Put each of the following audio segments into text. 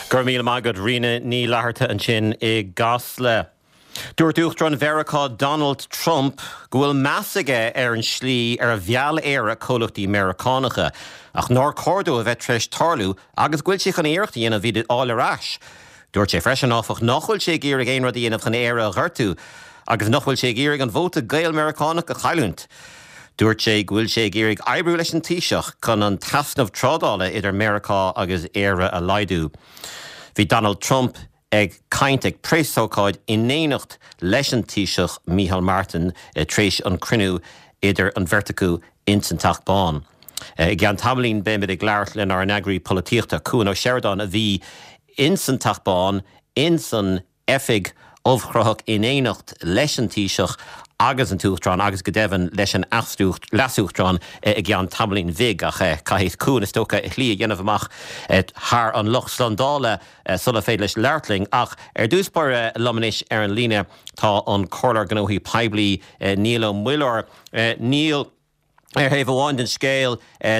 Go raibh míle maith agat, Ríona Ní Fhlatharta ansin i gCasla. Dúirt Uachtarán Mheiriceá Donald Trump go bhfuil meas aige ar an slí ar mheall Éire comhlachtaí Meiriceánacha, ach nár chóir dó a bheith tar éis tarlú agus go bhfuil sé chun iarracht a dhéanamh iad a fháil ar ais. Dúirt sé freisin, áfach, nach bhfuil sé ag iarraidh aon rud a dhéanamh chun Éire a ghortú agus nach bhfuil sé ag iarraidh an vóta Gael-Meiriceánach a chailliúint. Dúirt sé go bhfuil sé ag iarraidh oibriú leis an Taoiseach chun an t-easnamh trádála idir Meiriceá agus Éire a laghdú. Bhí Donald Trump ag caint ag preasócáid in éineacht leis an Taoiseach Micheál Martin tar éis an cruinniú idir an bheirt acu ins an Teach Bán. I gceann tamaillín beimid ag labhairt lenár n-eagraí polaitíochta, Cuan Ó Seireadáin, a bhí ins an Teach Bán ins an oifig ubhchruthach in éineacht leis an Taoiseach agus an tUachtarán agus go deimhin leis an Leas-Uachtarán i gceann tamaillín bhig ach caithfidh Cuan is dócha a shlí a dhéanamh amach thar an lucht slándála sula féidir leis labhairt linn. Ach ar dtús báire liom anois ar an líne tá an Comhairleoir Gnóthaí Poiblí Niall Ó Muilleoir. Niall. Ar thaobh amháin den scéal,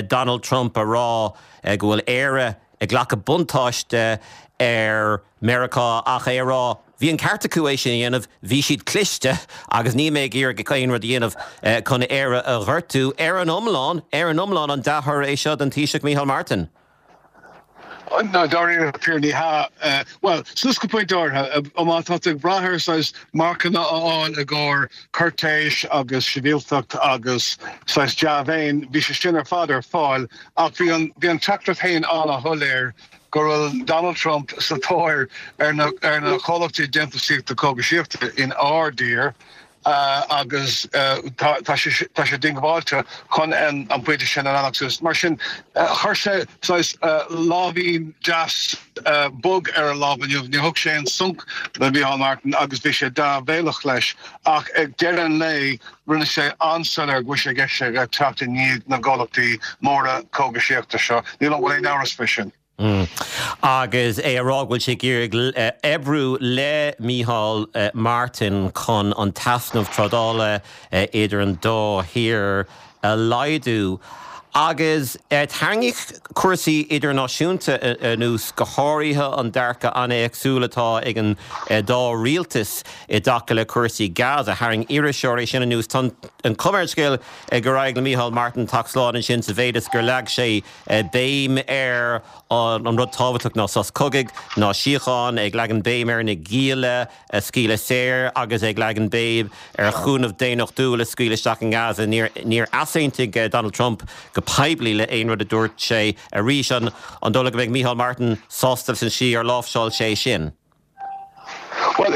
Donald Trump a rá go bhfuil Éire ag glacadh buntáiste ar Meiriceá ach é a rá bhí an ceart acu é sin a dhéanamh, bhí siad cliste agus níl mé ag iarraidh aon rud a dhéanamh chun Éire a ghortú. Ar an iomlán, ar an iomlán an dea-thoradh é seo don Taoiseach Micheál Martin? Ná dáiríre píre ní hea. Bhuel, suas go pointe áirithe. Má tá tú ag brath ar saghas marcanna a fháil i gcomhair cúirtéis agus sibhialtacht agus saghas dea-mhéin, bhí sé sin ar fad ar fáil ach bhí an bhí an teachtaireacht féin an-shoiléir go bhfuil Donald Trump sa tóir ar na ar na comhlachtaí déantúsaíochta cógaisíochta in ár dtír. agus tá sé diongbháilte chun an pointe sin a leanacht suas. Mar sin, chuir sé saghas láimhín deas bog ar a lámh inniu. Níor thug sé aon sonc do Mhícheál Martin agus bhí sé dea-mhéileach leis ach ag deireadh an lae rinne sé an-soiléir go bhfuil sé i gceist aige teacht i ndiaidh na gcomhlachtaí móra cógaisíochta seo. Níl aon amhras faoi sin. Agus é a rá go bhfuil sé ag iarraidh oibriú le Micheál Martin chun an t-easnamh trádála idir an dá thír a laghdú. Agus tarraingíodh cúrsaí idirnáisiúnta anuas, go háirithe an dearcadh an-éagsúil atá ag an dá rialtas i dtaca le cúrsaí Gaza. Tharraing iriseoir é sin anuas. Tá an chuma ar an scéal gur éirigh le Micheál Martin teacht slán ansin sa mhéid is gur leag sé béim ar an rud tábhachtach ná sos cogaidh, ná síocháin, ag leagan béim ar na gialla a scaoileadh saor agus ag leagan béim ar chúnamh daonnachtúil a scaoileadh isteach i nGaza. Níor easaontaigh Donald Trump go poiblí le aon rud a dúirt sé arís. An dóigh leat go mbeidh Micheál Martin sásta leis an slí ar láimhseáil sé sin? Bhuel,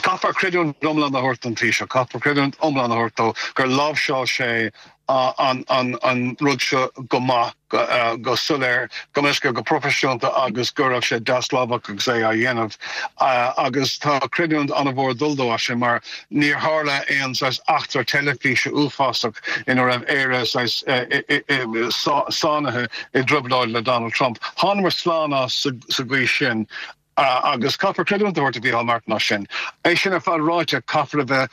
caithfear creidiúint iomlán a thabhairt don Taoiseach, caithfear creidiúint iomlán a thabhairt dó gur láimhseáil sé an rud seo go maith, go soiléir, go measctha, go proifisiúnta agus go raibh sé deaslámhach agus é á dhéanamh. Agus tá creidiúint an-mhór ag dul dó as sin mar níor tharla aon saghas eachtra teilifíse uafásach ina raibh Éire saghas sáinnithe i dtrioblóid le Donald Trump. Thánamar slán as sa gcaoi sin agus caithfear creidiúint a thabhairt do Mhícheál Martin as sin. É sin ar fad ráite, caithfear a bheith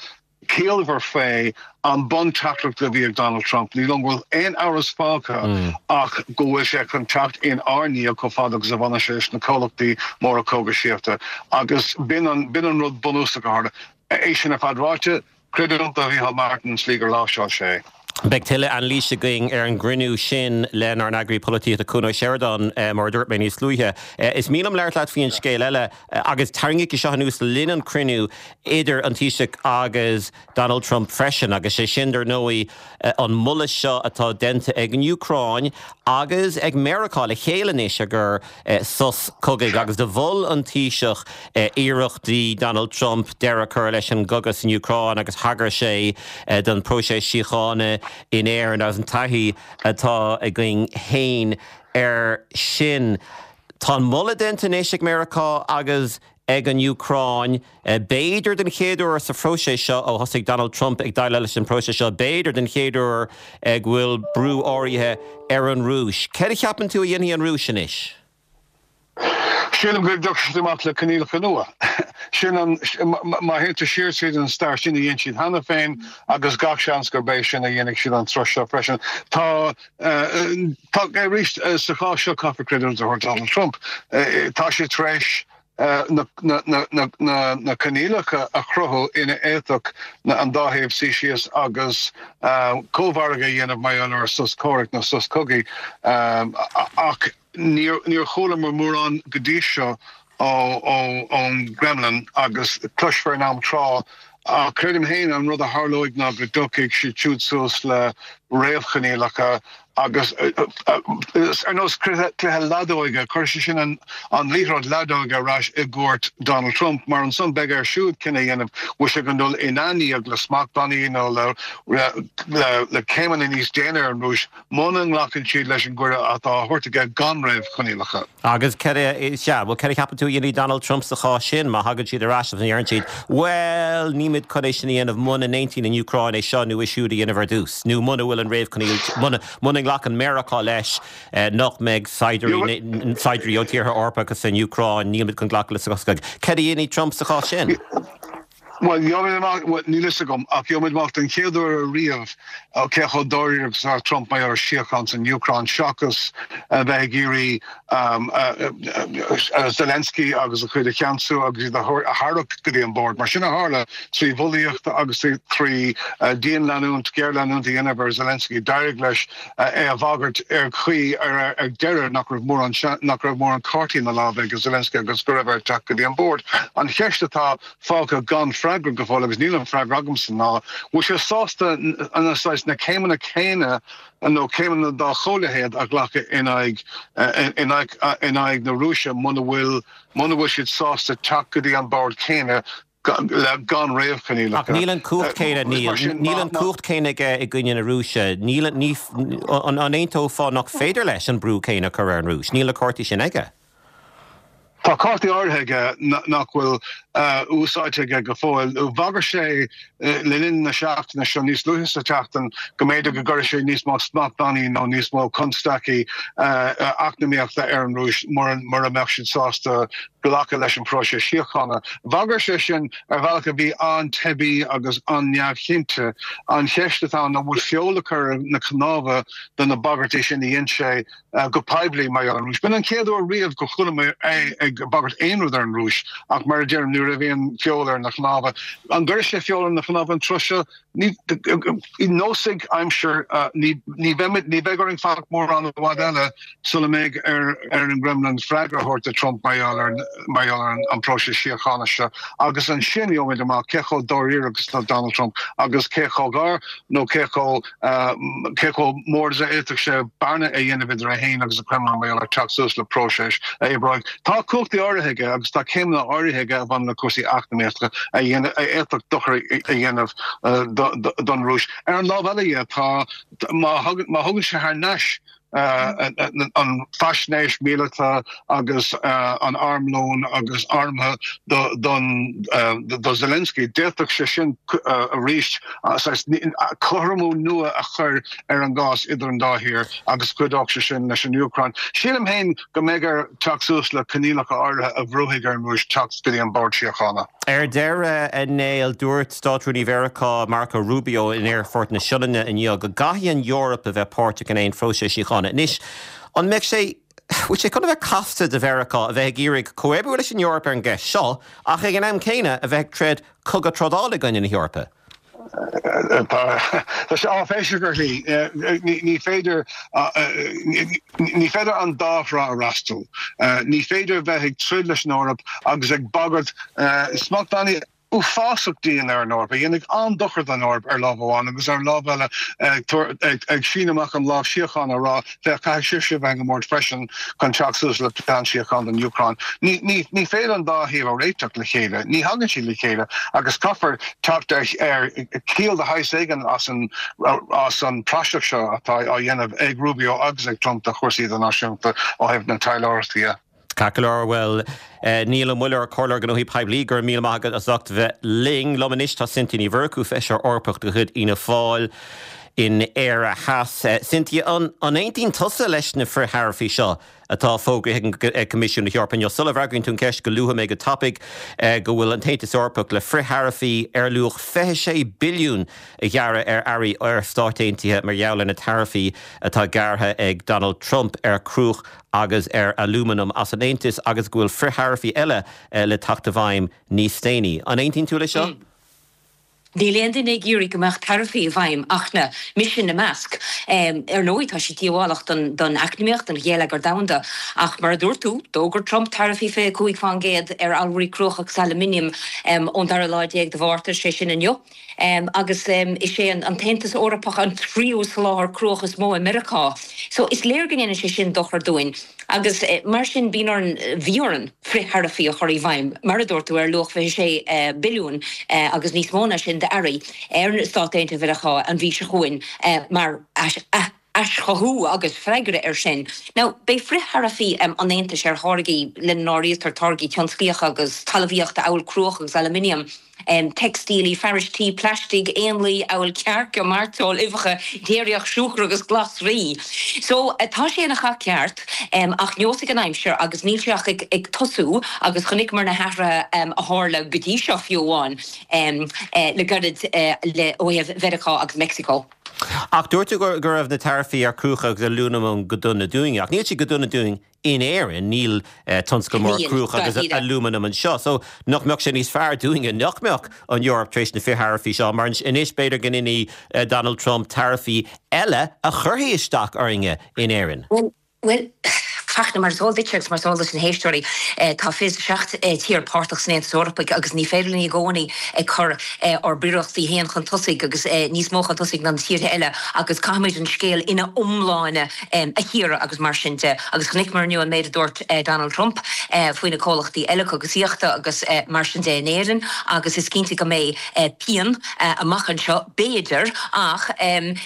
ciallmhar faoi an bunteachtaireacht a bhí ag Donald Trump. Ní dóigh liom go bhfuil aon amhras fágtha ach go bhfuil sé chun teacht in ár ndiaidh chomh fada agus a bhaineann sé leis na comhlachtaí móra cógaisíochta agus b'in an rud bunúsach a tharla. É sin ar fad ráite, Creidiúint do Mhícheál Martin an tslí gur láimhseáil sé é. Beidh tuilleadh anailíse againn ar an gcruinniú sin lenár n-eagraí polaitíochta Cuan Ó Seireadáin, mar a dúirt mé níos luaithe. Is mian liom labhairt leat faoi an scéal eile, agus tarraingíodh é seo anuas le linn an chruinniú idir an Taoiseach agus Donald Trump freisin, agus sé sin, dar ndóigh, an moladh seo atá déanta ag an Úcráin agus ag Meiriceá le chéile anois i gcomhair sos cogaidh agus do mhol an Taoiseach iarrachtaí Donald Trump deireadh a chur leis an gcogadh san Úcráin agus thagair sé don phróiseas síochána in Éirinn agus an taithí atá againn féin air sin. Tá an moladh déanta anois ag Meiriceá agus ag an Úcráin. B'fhéidir den chéad uair sa phróiseas seo ó thosaigh Donald Trump ag déileáil leis an bpróiseas seo, b'fhéidir den chéad uair go bhfuil brú áirithe ar an Rúis. Céard a cheapann tú a dhéanfaidh an Rúis anois? Sílim go dtiocfaidh siad amach le coinníollacha nua. Sin an, má théann tú siar tríd an stair, sin a dhein siad cheana féin agus gach seans gurb é sin a dhéanfaidh siad an tráth seo freisin. Tá, tá, arís, sa chás seo caithfear creidiúint a thabhairt do Donald Trump. Tá sé tar éis na, na, na, na, na, na coinníollacha a chruthú ina bhféadfadh an dá thaobh suí síos agus cómhargadh a dhéanamh mar gheall ar sos comhraic nó sos cogaidh ach níor, níor chualamar mórán go dtí seo ón gCremlin agus cloisfear in am tráth. Ach creidim féin an rud a tharlóidh ná go dtiocfaidh siad siúd suas le réamhchoinníollacha agus ar nós cluiche leadóige, cuirfidh sé sin an liathróid leadóige ar ais i gcúirt Donald Trump mar ansan beidh air siúd cinneadh a dhéanamh bhfuil sé chun dul ina ndiaidh le smachtbhannaí nó le céimeanna níos déine ar an Rúis muna nglacann siad leis an gcuireadh atá á thabhairt aige gan réamhchoinníollacha. Agus céard a, sea, bhuel, céard a cheapann tú a dhéanfaidh Donald Trump sa chás sin, má thagann siad ar ais agus deireann siad, bhuel, nílimid chun é sin a dhéanamh muna n-aontaíonn an Úcráin é seo nó é siúd a dhéanamh ar dtús, nó muna bhfuil an réamhchoinníoll, muna, muna nglacann Meiriceá leis nach mbeidh saighdiúirí, saighdiúirí ó tíortha Eorpacha san Úcráin, nílimid chun glacadh le sos cogaidh. Céard a dhéanfaidh Trump sa chás sin? Bhuel, gheobhaimid amach, bhuel, níl a fhios agam, ach gheobhaimid amach den chéad uair ariamh cé chomh dáiríre agus atá Trump mar gheall ar síocháin san Úcráin seachas a bheith ag iarraidh Zelensky agus a chuid a cheansú agus iad a tharrac go dtí an bord. Mar sin a tharla trí bhulaíocht agus trí dianleanúint, géarleanúint a dhéanamh ar Zelensky, d'éirigh leis é a bhagairt ar chaoi ar ar deireadh nach raibh mórán nach raibh mórán cártaí ina lámh ag Zelensky agus go raibh air teacht go dtí an bord. An cheist atá fágtha gan freagra go fóill, agus níl an freagra agamsa, ná bhfuil sé sásta na saghas na céimeanna céanna nó céimeanna dá chomhleithéid a ghlacadh in aghaidh in aghaidh in aghaidh na Rúise muna bhfuil muna bhfuil siad sásta teacht go dtí an bord céanna le gan réamhchoinníollacha. Ach níl an cumhacht céanna, níl, níl an cumhacht céanna aige i gcoinne na Rúise. Níl, ní, an aontófá nach féidir leis an brú céanna a chur ar an Rúis? Níl na cártaí sin aige. Tá cártaí áirithe aige nach bhfuil úsáidte aige go fóill. Bhagair sé le linn na seachtaine seo, níos luaithe sa tseachtain, go mb'fhéidir go gcuirfeadh sé níos mó smachtbhannaí nó níos mó constaicí eacnamaíochta ar an Rúis mura mbeadh siad sásta glacadh leis an bpróiseas síochána. Bhagair sé sin ar bhealach a bhí an-teibí agus an-neamhchinnte. An cheist atá ann, an bhfuil feoil le cur ar na cnámha do na bagairtí sin a dhein sé go poiblí mar gheall ar an Rúis. B'in an chéad uair riamh gur chuala mé é ag bagairt aon rud ar an Rúis ach mar a deirim, ní raibh aon feoil ar na cnámha. An gcuirfidh sé feoil ar na cnámha an tráth seo? Ní, neosfaidh aimsir, ní, ní bheimid, ní bheidh orainn fanacht mórán i bhfad eile sula mbeidh ar ar an gCremlin freagra a thabhairt do Trump mar gheall ar, mar gheall ar an, an próiseas síochána seo agus ansin gheobhaimid amach cé chomh dáiríre agus atá Donald Trump agus cé chomh gar nó cé chomh cé chomh mór is a fhéadfadh sé bearna a dhéanamh idir é féin agus an Kremlin mar gheall ar teacht suas le próiseas a oibreoidh. Tá cumhachtaí áirithe aige agus tá céimeanna áirithe aige a bhaineann le cúrsaí eacnamaíochta a fhéadfadh dochar a dhéanamh don Rúis. Ar an lámh eile dhe, tá, má thugann sé thar n-ais an faisnéis mhíleata agus an armlón agus armtha do Zelensky. D'fhéadfadh sé sin arís cothromú nua a chur ar an gcás idir an dá thír agus chuideodh sé sin leis an Úcráin. Sílim féin go mbeidh air teacht suas le coinníollacha áirithe a bhrúfaidh ar an Rúis teacht go dtí an bord síochána. Ar deireadh, a Néill, dúirt Státrúnaí Mheiriceá, Marco Rubio, in Aerfort na Sionainne inniu go gcaithfidh an Eoraip a bheith páirteach in aon phróiseas síochána. Anois, an mbeidh sé, bhfuil sé chun a bheith casta do Mheiriceá a bheith ag iarraidh comhoibriú leis an Eoraip ar an gceist seo ach ag an am céanna a bheith ag troid cogadh trádála i gcoinne na hEorpa? Tá sé áiféiseach ar shlí. Ní féidir ní féidir an dá thrá a fhreastal. Ní féidir a bheith ag troid leis an Eoraip agus ag bagairt smachtbhannaí uafásach dian ar an Eoraip, a dhéanfaidh an-dochar don Eoraip ar lámh amháin agus ar an lámh eile ag síneadh amach an lámh síochána ag rá Féach, caithfidh sibhse a bheith ag an mbord freisin chun teacht suas le plean síochána don Úcráin. Ní, ní, ní féidir an dá thaobh a réiteach le chéile. Ní thagann siad le chéile agus caithfear teacht ar, ar chiall de shaghas éigin as an, as an praiseach seo atá á dhéanamh ag Rubio agus ag Trump de chúrsaí idirnáisiúnta ó thaobh na taidhleoireachta dhe. Ceart go leor, bhuel, Niall Ó Muilleoir, Comhairleoir Gnóthaí Poiblí, go raibh míle maith agat as ucht bheith linn. Liom anois tá Cynthia Ní Mhurchú, Feisire Eorpach de chuid Fhianna Fáil. in Éire Theas. Cynthia, an aontaíonn tusa leis na frith-tharaifí seo atá fógraithe ag Coimisiún na hEorpa inniu? Sula bhfreagraíonn tú an cheist, go luafaidh mé go tapaidh go bhfuil an tAontas Eorpach le frith-tharaifí ar luach 26 billiún a ghearradh ar earraí ó Stáit Aontaithe mar gheall ar na taraifí atá gearrtha ag Donald Trump ar chruach agus ar alúmanam as an Aontas agus go bhfuil frith-tharaifí eile le teacht i bhfeidhm níos déanaí. An aontaíonn tú leis seo? Níl aon duine ag iarraidh go mbeadh taraifí i bhfeidhm ach na, mise ina measc. Ar ndóigh, tá sé díobhálach don eacnamaíocht, don gheilleagar domhanda. Ach mar a dúirt tú, d'fhógair Trump taraifí 25% ar allmhairí cruach agus aluminiam ón dara lá déag de Mhárta, sé sin inniu. Agus is é an tAontas Eorpach an tríú soláthar cruach is mó i Meiriceá. So is léir go ndéanann sé sin dochar dúinn. Agus mar sin bíonn orainn, bhí orainn, frith-tharaifí a chur i bhfeidhm, mar a dúirt tú, ar luach 26 billiún agus níos mó ná sin d'earraí ar na Stáit Aontaithe Mheiriceá an mhí seo chugainn mar aischothú agus freagra air sin. Now, beidh frith-tharaifí an Aontais ar tháirgí, lena n-áirítear táirgí tionsclaíocha agus talmhaíochta amhail cruach agus aluminiam, teicstílí, fearais tí, plaistigh, éanlaith amhail cearca, mairteoil, uibheacha, déiríocht, siúcra agus glasraí. So, tá sé ina chath ceart, ach neosfaidh an aimsir agus níl sé ach ag tosú agus chonaiceamar na hathruithe a tharla go dtí seo fiú amháin le gairid le ó thaobh Mheiriceá agus Meicsiceo. Ach dúirt tú go raibh na taraifí ar chruach agus alúmanam go dona dúinne, ach níl siad go dona dúinn In Éirinn, níl tionscal mór cruach agus alúmanaim anseo, so nach mbeadh sé níos fearr dúinne nach mbeadh an Eoraip tar éis na frith-tharaifí seo, mar anois b'fhéidir go ndéanfaidh Donald Trump taraifí eile a chuirfidh isteach orainne in Éirinn. Bhuel, Fachtna, mar is eol duitse agus mar is eol dos na héisteoirí, tá 27 tír páirteach san Aontas Eorpaigh agus ní féidir linn i gcónaí ag cur ár bpríorachtaí féin chun tosaigh agus níos mó chun tosaigh ná na tíortha eile agus caithfimid an scéal ina iomláine a chíoradh agus mar sin de. Agus chonaiceamar inniu an méid a dúirt Donald Trump faoi na comhlachtaí eile cogasaíochta agus mar sin de in Éirinn agus is cinnte go mbeidh pian amach anseo, b'fhéidir, ach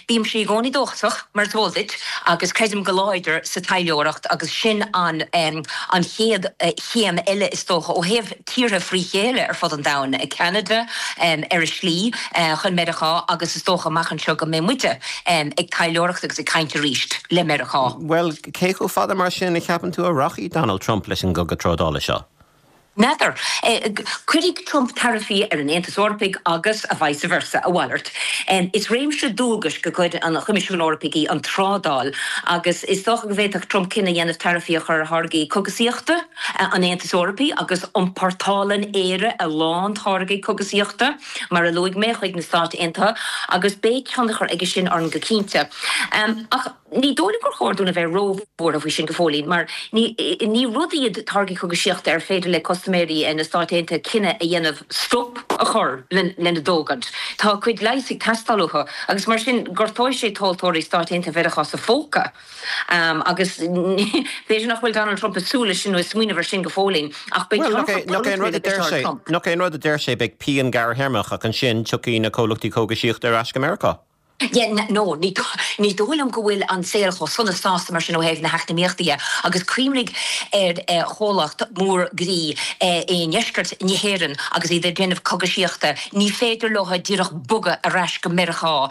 bímse i gcónaí dóchasach, mar is eol duit, agus creidim go láidir sa taidhleoireacht agus sin an an chéad chéim eile is dócha ó thaobh tíortha frí chéile ar fud an domhain, Ceanada ar a slí chun Meiriceá agus is dócha amach anseo go mbeidh muide ag taidhleoireacht agus ag caint arís le Meiriceá. Bhuel, cé chomh fada mar sin a cheapann tú a rachaidh Donald Trump leis an gcogadh trádála seo? N'fheadar. Cuirfidh Trump taraifí ar an Aontas Eorpaigh agus a vice versa, a mhalairt. Is réimse dualgais de chuid an Choimisiúin Eorpaigh í an trádáil agus is dócha go bhféadfadh Trump cinneadh a dhéanamh taraifí a chur ar tháirgí cogasaíochta an Aontais Eorpaigh agus iompórtálann Éire a lán táirgí cogasaíochta, mar a luaigh mé, chuig na Stáit Aontaithe agus beidh tionchar aige sin orainn go cinnte. Ach ní dóigh liom gur chóir dúinn a bheith róbhuartha faoi sin go fóillín mar ní ní rud iad táirgí cogaisíochta ar féidir le custaiméirí na Stáit Aontaithe cinneadh a dhéanamh stop a chur lena dtógaint. Tá a gcuid leighis ag teastáil uathu agus mar sin gortóidh sé tomhaltóirí Stáit Aontaithe Mheiriceá sa phóca. Agus b'fhéidir nach bhfuil Donald Trump ag súil leis sin nó ag smaoineamh ar sin go fóillín, ach beidh tionchar polaitiúil aige seo ar Trump. Nach é an rud a deir sé, beidh pian gearrthéarmach ach ansin tiocfaidh na comhlachtaí cógaisíochta ar ais go Meiriceá. Yeah, no, ní dóigh liom go bhfuil an saol chomh sona sásta mar sin ó thaobh na heacnamaíochta dhe. Agus cuimhnigh ar chomhlacht mór groí i ndeisceart na hÉireann agus iad ag déanamh cogaisíochta, ní féidir leo díreach bogadh ar ais go Meiriceá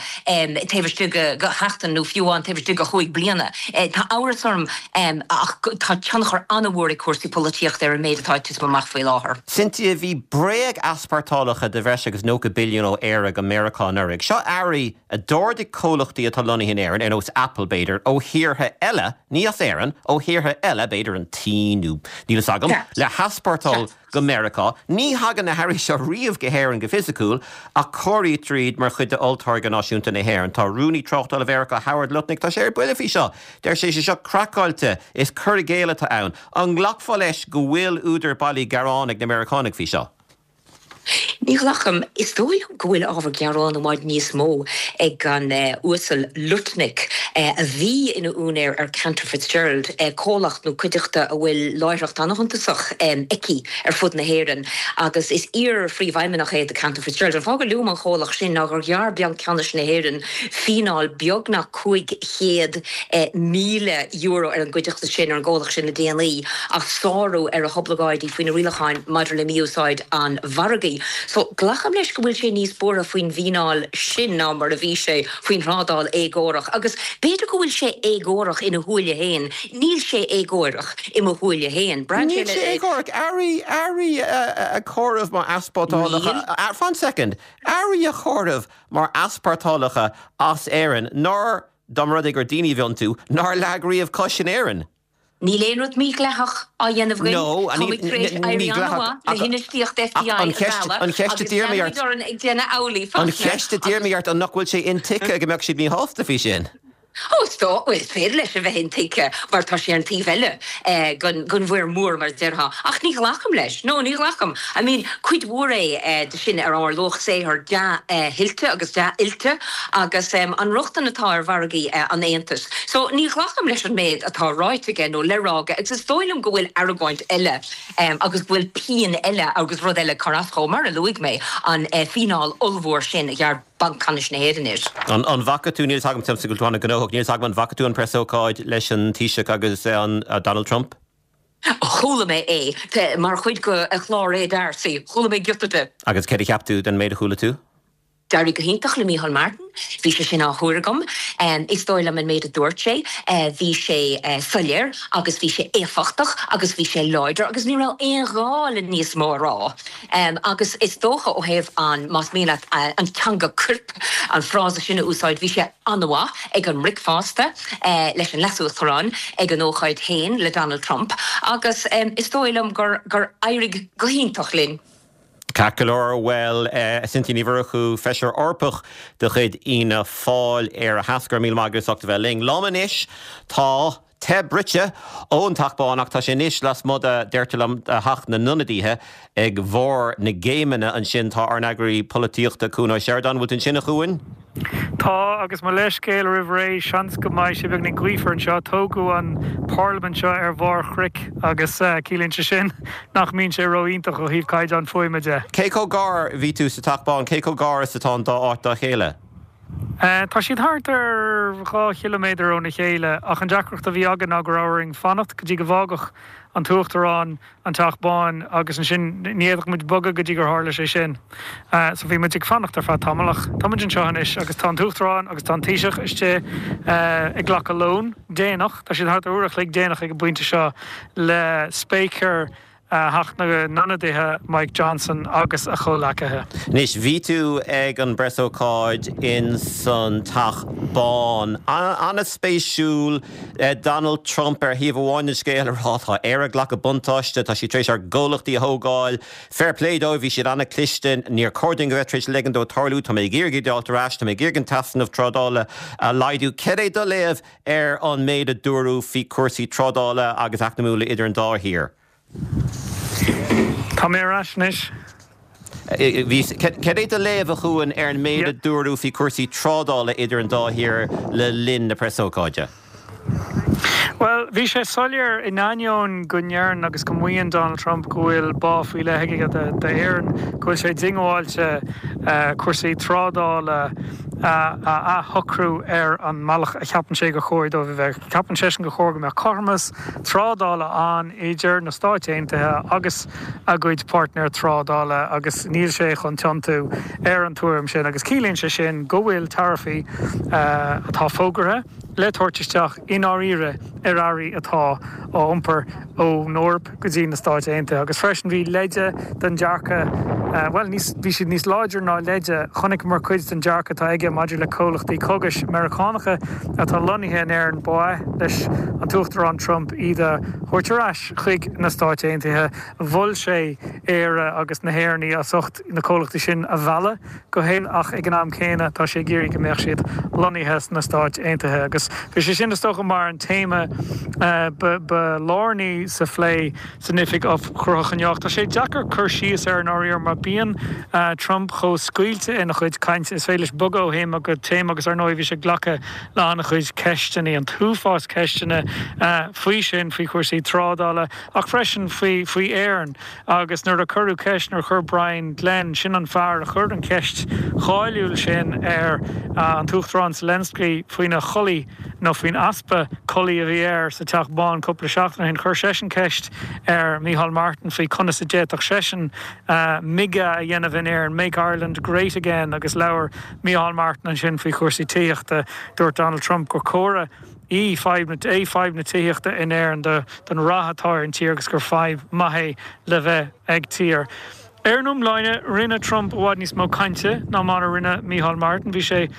taobh istigh de sheachtain nó fiú amháin taobh istigh de chúig bliana. Tá amhras orm ach tá tionchar an-mhór ag cúrsaí polaitíochta ar an méid atá ag titim amach faoi láthair. Cynthia, bhí bréag-easpórtálacha de bhreis agus 90 billiún ó Éire go Meiriceá anuraidh. Seo earraí a d'ordaigh comhlachtaí atá lonnaithe in Éirinn, ar nós Apple b'fhéidir, ó thíortha eile, ní as Éirinn, ó thíortha eile, b'fhéidir an tSín nó níl fhios agam, le heaspórtáil go Meiriceá. Ní thagann na hearraí seo riamh go hÉirinn go fisiciúil, ach comhairítear iad mar chuid de olltáirgeadh náisiúnta na hÉireann. Tá Rúnaí Tráchtála Mheiriceá Howard Lutnick, tá sé ar buile faoi seo. Deir sé sé seo craiceáilte, is cur i gcéill atá ann. An nglacfá leis go bhfuil údar bailí gearáin ag na Meiriceánaigh faoi seo? Ní ghlacaim. Is dóigh liom go bhfuil ábhar gearáin i bhfad níos mó ag an Uasal Lutnick, a bhí ina úinéir ar Cantor Fitzgerald, comhlacht nó cuideachta a bhfuil láithreacht an-shuntasach aici ar fud na hÉireann, agus is iar-phríomhfheidhmeannach é de Cantor Fitzgerald. An fáth gur luaim an chomhlacht sin ná gur ghearr Banc Ceannais na hÉireann fíneáil beagnach €500,000 ar an gcuideachta sin, ar an gcomhlacht sin le déanaí, as sárú ar a hoibleagáidí faoi na rialacháin maidir le mí-úsáid an mhargaidh. So, glacaim leis go bhfuil sé níos buartha faoin bhfíneáil sin ná mar a bhí sé faoin thrádáil éagórach. Agus b'fhéidir go bhfuil sé éagórach ina shúile féin, níl sé éagórach i mo shúile féin. Braitheann sé Níl sé éagórach. Earraí, earraí a chomhaireamh mar easpórtálacha, Níl. Fan soicind. Earraí a chomhaireamh mar easpórtálacha as Éirinn nár, dá mba rud é gur daoine a bhí iontu, nár leag riamh cos in Éirinn. Níl aon rud mídhleathach á dhéanamh againn. Táimid tar éis éirí an-mhaith le hinfheistíocht FDI a mhealladh agus leanfaimid orainn ag déanamh amhlaidh An cheist a d'iarr mé ort, an nach bhfuil sé intuigthe go mbeadh siad míshásta faoi sin? Ó, is dóigh, bhuel, is féidir leis a bheith intuigthe mar tá sé ar an taobh eile den mhuir mhór, mar a déarfá. Ach ní ghlacaim leis. No, ní ghlacaim. I mean, cuid mhór é de sin ar ár luach saothair dea-thuillte agus dea-oilte agus an rochtain atá ar mhargaí an Aontais. So, ní ghlacaim leis an méid atá ráite aige nó le rá aige agus is dóigh liom go bhfuil argóint eile agus go bhfuil pian eile agus rud eile ag cur as dhó, mar a luaigh mé, an fíneáil ollmhór sin a ghearr Banc Ceannais na hÉireann air. An bhfaca tú, níl 'fhios agam, tuigim go bhfuil tú an-ghnóthach, níl 'fhios agam an bhfaca tú an preasócáid leis an Taoiseach agus an Donald Trump? Chuala mé é mar chuid de chlár Radar, sea, chuala mé giota de. Agus céard a cheap tú den méid a chuala tú? D'éirigh go hiontach le Micheál Martin. Bhí sé sin á thuar agam. Is dóigh liom an méid a dúirt sé, bhí sé soiléir agus bhí sé éifeachtach agus bhí sé láidir agus ní raibh aon ghá le níos mó a rá. Agus is dócha ó thaobh an, más mian leat, an teanga coirp, an frása sin a úsáid, bhí sé an-mhaith ag an mbricfeasta leis an Leas-Uachtarán, ag an ócáid féin le Donald Trump agus is dóigh liom gur gur éirigh go hiontach linn. Ceart go leor, bhuel, Cynthia Ní Mhurchú, Feisire Eorpach de chuid Fhianna Fáil, Éire Theas, go raibh míle maith agat as ucht a bheith linn. Liom anois tá te bruite ón Teach Bán ach tá sé anois lasmuigh de, deirtear liom, de Theach na nIonadaithe ag bharr na gcéimeanna ansin. Tá ár n-eagraí polaitíochta, Cuan Ó Seireadáin, bhfuil tú ansin, a Chuain? Tá, agus mo leithscéal roimh ré, seans go mbeidh sé beagainín gaofar anseo. Tógadh an Pharlaimint seo ar bharr chnoic agus ciallaíonn sé sin nach mbíonn sé ró-iontach ó thaobh caighdeán fuaime de. Cé chomh gar, bhí tú sa Teach Bán, cé chomh gar is atá an dá áit dá chéile? Tá siad thart ar 2 chiliméadar óna chéile ach an deacracht a bhí againn ná go raibh orainn fanacht go dtí go bhfágfadh an tUachtarán an Teach Bán agus ansin ní fhéadfadh muid bogadh go dtí gur tharla sé sin. So bhí muid ag fanacht ar feadh tamaill ach tá muid anseo anois agus tá an tUachtarán agus tá an Taoiseach istigh ag glacadh lóin, déanach, tá siad thart ar uair a chloig déanach ag an bpointe seo le Spéicéir Theach na nIonadaithe Mike Johnson agus a chomhleacaithe. Anois, bhí tú ag an bpreasócáid in san Teach Bán. An-spéisiúil. Donald Trump ar thaobh amháin den scéal ag rá tá Éire ag glacadh buntáiste, tá siad tar éis ár gcomhlachtaí a thógáil, fair play dóibh, bhí siad an-cliste, níor chóir dúinn a bheith tar éis ligean dó tarlú, tá mé ag iarraidh iad a fháilt ar ais, tá mé ag iarraidh an t-easnamh trádála a laghdú. Cad é do léamh ar an méid a dúradh faoi chúrsaí trádála agus eacnamúla idir an dá thír? Tá mé ar ais anois. Bhí. Cad é do léamh, a Chuain, ar an méid a dúradh faoi chúrsaí trádála idir an dá thír le linn na preasócáide? Bhuel, bhí sé soiléir, in ainneoin go ndeireann agus go maíonn Donald Trump go bhfuil bá faoi leith aige d'Éirinn, go bhfuil sé diongbháilte cúrsaí trádála a athshocrú ar an mbealach a cheapann sé gur chóir dóibh a bheith. Ceapann seisean gur chóir go mbeadh cothromas trádála ann idir na Stáit Aontaithe agus a gcuid páirtnéir trádála agus níl sé chun tiontú ar an tuairim sin agus ciallaíonn sé sin go bhfuil taraifí atá fógartha le tabhairt isteach i ndáiríre ar earraí atá á iompar ón Eoraip go dtí na Stáit Aontaithe agus freisin bhí leide den dearcadh, bhuel níos, bhí siad níos láidre ná leide, chonaiceamar cuid den dearcadh atá aige maidir le comhlachtaí cógais Meiriceánacha atá lonnaithe in Éirinn, ba mhaith leis an tUachtarán Trump iad a thabhairt ar ais chuig na Stáit Aontaithe. Mhol sé Éire agus na hÉireannaigh as ucht na comhlachtaí sin a mhealladh go hÉirinn ach ag an am céanna tá sé ag iarraidh go mbeadh siad lonnaithe sna Stáit Aontaithe agus bhí sé sin is dócha mar an téama ba lárnaí sa phlé san oifig chruthaitheach. Tá sé deacair cur síos air i ndáiríre mar bíonn Trump chomh scaoilte ina chuid cainte, is féidir leis bogadh ó théama go téama agus ar ndóigh bhí sé ag glacadh le an-chuid ceisteanna, an t-uafás ceisteanna faoi sin, faoi chúrsaí trádála ach freisin faoi faoi Éirinn. Agus nuair a cuireadh ceist, nuair a chuir Brian Glenn, sin an fear a chuir an cheist cháiliúil sin ar an tUachtarán Zelensky faoina chulaith. nó faoin easpa culaith a bhí air sa Teach Bán cúpla seachtain ó shin. Chuir seisean ceist ar Micheál Martin faoi conas a d'fhéadfadh seisean MIGA a dhéanamh in Éirinn, Make Ireland Great Again, agus labhair Micheál Martin ansin faoi chúrsaí tithíochta. Dúirt Donald Trump gur comhartha í fadhb é fadhb na tithíochta in Éirinn don rath atá ar an tír agus gur fadhb maith é le bheith ag tír. Ar an iomláine, rinne Trump i bhfad níos mó cainte ná mar a rinne Micheál Martin. Bhí sé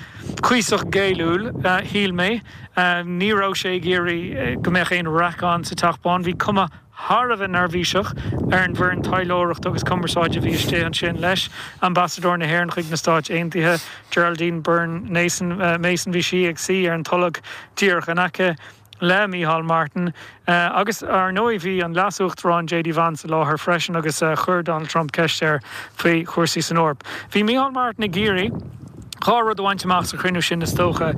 cuíosach géilliúil, shíl mé. Ní raibh sé ag iarraidh go mbeadh aon raic ann sa Teach Bán. Bhí cuma thar a bheith neirbhíseach ar an bhfoireann taidhleoireachta agus cumarsáide a bhí istigh ansin leis, Ambasadóir na hÉireann chuig na Stáit Aontaithe, Geraldine Byrne Mason, bhí sí ag suí ar an tolg díreach in aice. le Micheál Martin. Agus, ar ndóigh, bhí an Leas-Uachtarán JD Vance i láthair freisin agus chuir Donald Trump ceist air faoi chúrsaí san Eoraip. Bhí Micheál Martin ag iarraidh dhá rud a bhaint amach sa chruinniú sin, is dócha,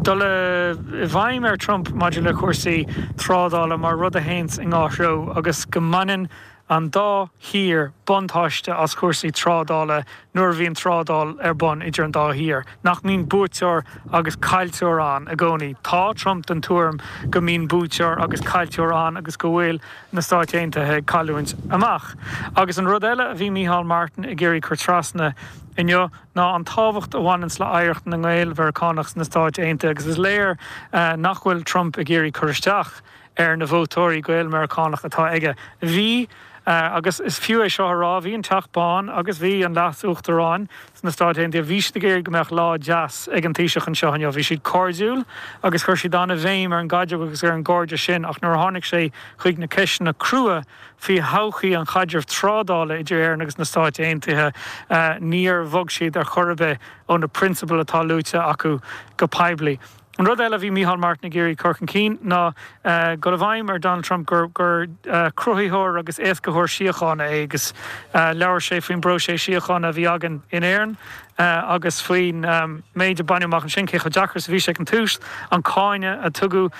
dul i bhfeidhm ar Trump maidir le cúrsaí trádála mar rud a théanns i ndhá threo agus go mbaineann an dá thír buntáiste as cúrsaí trádála nuair a bhíonn trádáil ar bun idir an dá thír, nach mbíonn buaiteoir agus caillteoir ann i gcónaí. Tá Trump den tuairim go mbíonn buaiteoir agus caillteoir ann agus go bhfuil na Stáit Aontaithe ag cailliúint amach. Agus an rud eile a bhí Micheál Martin ag iarraidh cur trasna inniu ná an tábhacht a bhaineanns le hoidhreacht na nGael-Mheiriceánach sna Stáit Aontaithe agus is léir nach bhfuil Trump ag iarraidh cur isteach ar na vótóirí Gael-Meiriceánach atá aige. Bhí, agus is fiú é seo a rá, bhí an Teach Bán agus bhí an Leas-Uachtarán sna Stáit Aontaithe, bhí siad ag iarraidh go mbeadh lá deas ag an Taoiseach anseo inniu. Bhí siad cairdiúil agus chuir siad an-bhéim ar an gcaidreamh agus ar an gcairdeas sin ach nuair a tháinig sé chuig na ceisteanna crua faoi thodhchaí an chaidrimh trádála idir Éirinn agus na Stáit Aontaithe, níor bhog siad ar chor ar bith ó na prionsabail atá luaite acu go poiblí. An rud eile a bhí Micheál Martin ag iarraidh cur chun cinn ná dul i bhfeidhm ar Donald Trump gur cruthaitheoir agus éascaitheoir síochána é agus labhair sé faoin bpróiseas síochána a bhí againn in Éirinn agus faoin méid a baineadh amach ansin, cé chomh deacair is a bhí sé ag an tús, an cáineadh a tugadh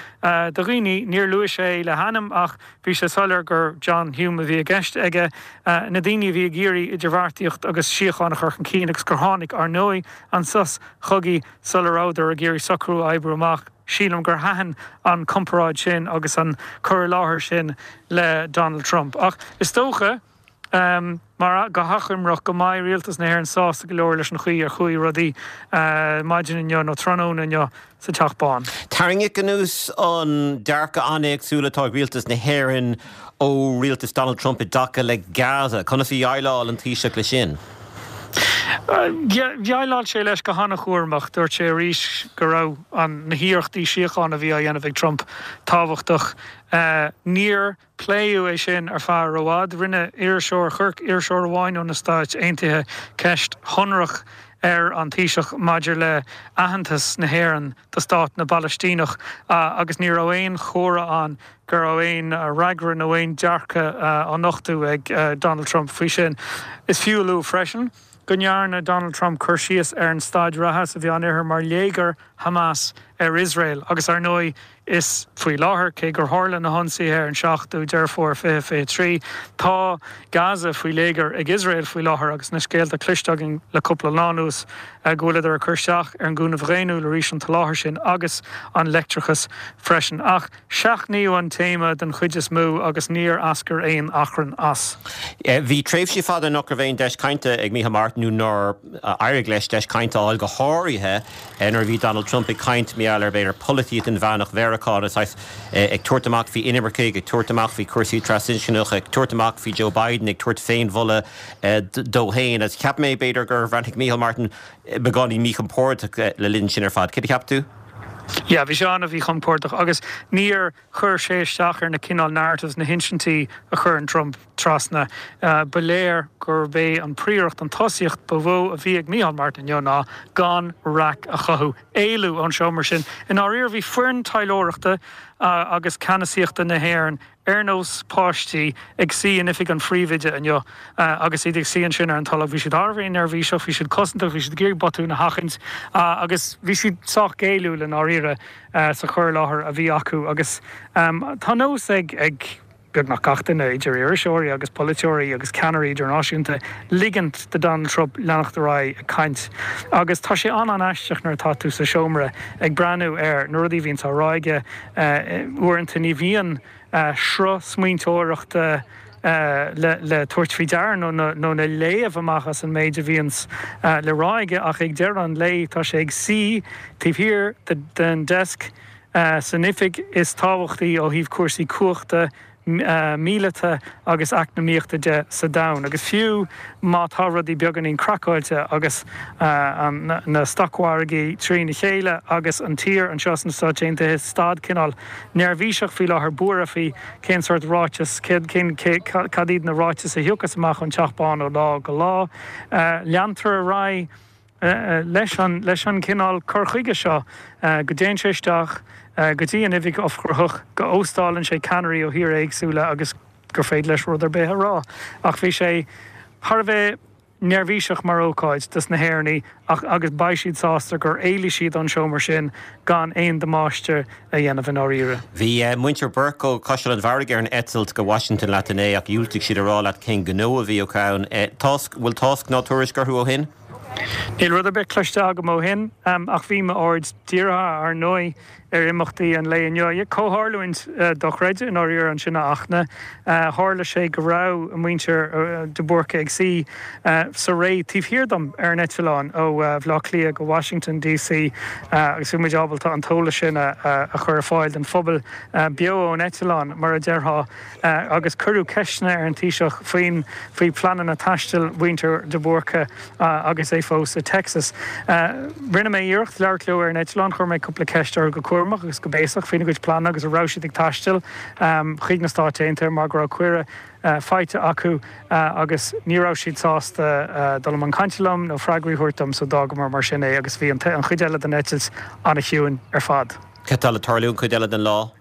do dhaoine. Níor luaigh sé le hainm ach bhí sé soiléir gur John Hume a bhí i gceist aige, na daoine a bhí ag iarraidh idirbheartaíocht agus síocháin a chur chun cinn agus gur tháinig, ar ndóigh, an sos chogaidh sula rabhadar ag iarraidh socrú a oibriú amach. Sílim gur thaitin an comparáid sin agus an cur i láthair sin le Donald Trump. Ach is dócha, mar go hachoimreach, go mbeidh rialtas na hÉireann sásta go leor leis an chaoi ar chuaigh rudaí maidin inniu nó tráthnóna inniu sa Teach Bán. Tarraingíodh anuas an dearcadh an-éagsúil atá ag rialtas na hÉireann ó rialtas Donald Trump i dtaca le Gaza. Conas a dhéileáil an Taoiseach leis sin? Dhéileáil sé leis go han-chúramach. Dúirt sé arís go raibh na hiarrachtaí síochána a bhí á dhéanamh ag Trump tábhachtach. Níor pléadh é sin ar feadh rófhada. Rinne iriseoir, chuir iriseoir amháin ó na Stáit Aontaithe ceist shonrach ar an Taoiseach maidir le aitheantas na hÉireann do stát na bPalaistíneach agus ní raibh aon chomhartha ann go raibh aon fhreagra nó aon dearcadh á nochtadh ag Donald Trump faoi sin. Is fiú a lua freisin go ndearna Donald Trump cur síos ar an staid reatha sa Mheánoirthear mar léigear Hamas ar Iosrael agus ar ndóigh is faoi láthair, cé gur tharla na hionsaithe ar an 7ú Deireadh Fómhair 2023, tá Gaza faoi léigear ag Iosrael faoi láthair agus na scéalta cloiste againn le cúpla lá anuas go bhfuileadar ag cur isteach ar an gcúnamh dhaonnúil arís, an tsoláthar sin agus an leictreachas freisin. Ach seachnaíodh an téama den chuid is mó agus níor eascair aon achrann as. Bhí tréimhsí fada nach raibh aon deis cainte ag Micheál Martin nó nár éirigh leis deis cainte a fháil, go háirithe nuair a bhí Donald Trump ag caint mar gheall ar, b'fhéidir, polaitíocht inmheánach Mheiriceá, na saghas, ag tabhairt amach faoi inimircigh, ag tabhairt amach faoi chúrsaí trasinscneach, ag tabhairt amach faoi Joe Biden, ag tabhairt féinmholadh dó féin. Agus cheap mé, b'fhéidir, gur bhreathnaigh Micheál Martin beagáinín míchompordach le linn sin ar fad. Céard a cheap tú? Yeah, bhí sé an-mhíchompordach agus níor chuir sé isteach ar na cineál narratives, na hinsintí a chuireann Trump trasna. Ba léir gurb é an phríoracht, an tosaíocht ba mhó a bhí ag Micheál Martin inniu ná gan raic a chothú, éalú ón seomra sin. I ndáiríre bhí foireann taidhleoireachta agus ceannasaíochta na hÉireann ar nós páistí ag suí in oifig an phríomhoide inniu agus iad ag suí ansin ar an tolg. Bhí siad thar a bheith neirbhíseach, bhí siad cosantach, bhí siad ag iarraidh botúin a sheachaint agus bhí siad sách géilliúil i ndáiríre sa chur i láthair a bhí acu agus tá nós ag. beagnach gach duine, idir iriseoirí agus polaiteoirí agus ceannairí idirnáisiúnta, ligint do Donald Trump leanacht ar aghaidh ag caint. Agus tá sé an-an-aisteach nuair atá tú sa seomra ag breathnú ar na rudaí a bhíonns á rá aige. Uaireanta ní bhíonn sruth smaointeoireachta le tabhairt faoi deara nó nó le léamh amach as an méid a bhíonns le rá aige ach ag deireadh an lae tá sé ag suí taobh thiar den deasc san oifig is tábhachtaí ó thaobh cúrsaí cumhachta míleata agus eacnamaíochta de sa domhan. Agus fiú má tá rudaí beagáinín craiceáilte agus na stocmhargaí trína chéile agus an tír anseo sna Stáit Aontaithe i staid cineál neirbhíseach faoi láthair, buartha faoi cén sórt ráiteas, cén, cad iad na ráitis a thiocfas amach ón Teach Bán ó lá go lá, leantar ar aghaidh. leis an leis an chineál cur chuige seo, go dtéann sé isteach go dtí an oifig ubhchruthach, go óstálann sé ceannairí ó thíortha éagsúla agus gur féidir leis rud ar bith a rá. Ach bhí sé thar a bheith neirbhíseach mar ócáid dos na hÉireannaigh ach agus beidh siad sásta gur éalaigh siad ón seomra sin gan aon damáiste a dhéanamh i ndáiríre. Bhí muintir Burke ó Chaiseal an Bharraigh ar an eitilt go Washington leat inné ach dhiúltaigh siad a rá leat cén gnó a bhí acu ann. Tásc, bhfuil tásc ná tuairisc orthu ó shin? Níl rud ar bith cloiste agam ó shin, ach bhí m'aird dírithe, ar ndóigh, ar imeachtaí an lae inniu. Comhtharlúint dochreidte i ndáiríre ansin, a Fhachtna. Tharla sé go raibh muintir de Búrca ag suí sa ré taobh thiar dom ar an eitleán ó Bhaile Átha Cliath go Washington DC agus bhí muid ábalta an t-eolas sin a chur ar fáil don phobal beo ón eitleán, mar a déarfá. agus cuireadh ceisteanna ar an Taoiseach faoin faoi phleananna taistil mhuintir de Búrca agus é fós i Texas. Rinne mé iarracht labhairt leo ar an eitleán, chuir mé cúpla ceist orthu go cúramach agus go béasach faoina gcuid pleananna agus an raibh siad ag taisteal chuig na Stáit Aontaithe mar go raibh cuireadh faighte acu agus ní raibh siad sásta dul i mbun cainte liom nó freagraí a thabhairt dom so d'fhágamar mar sin é agus bhí an chuid eile den eitilt an-chiúin ar fad. Cad tá le tarlú an chuid eile den lá?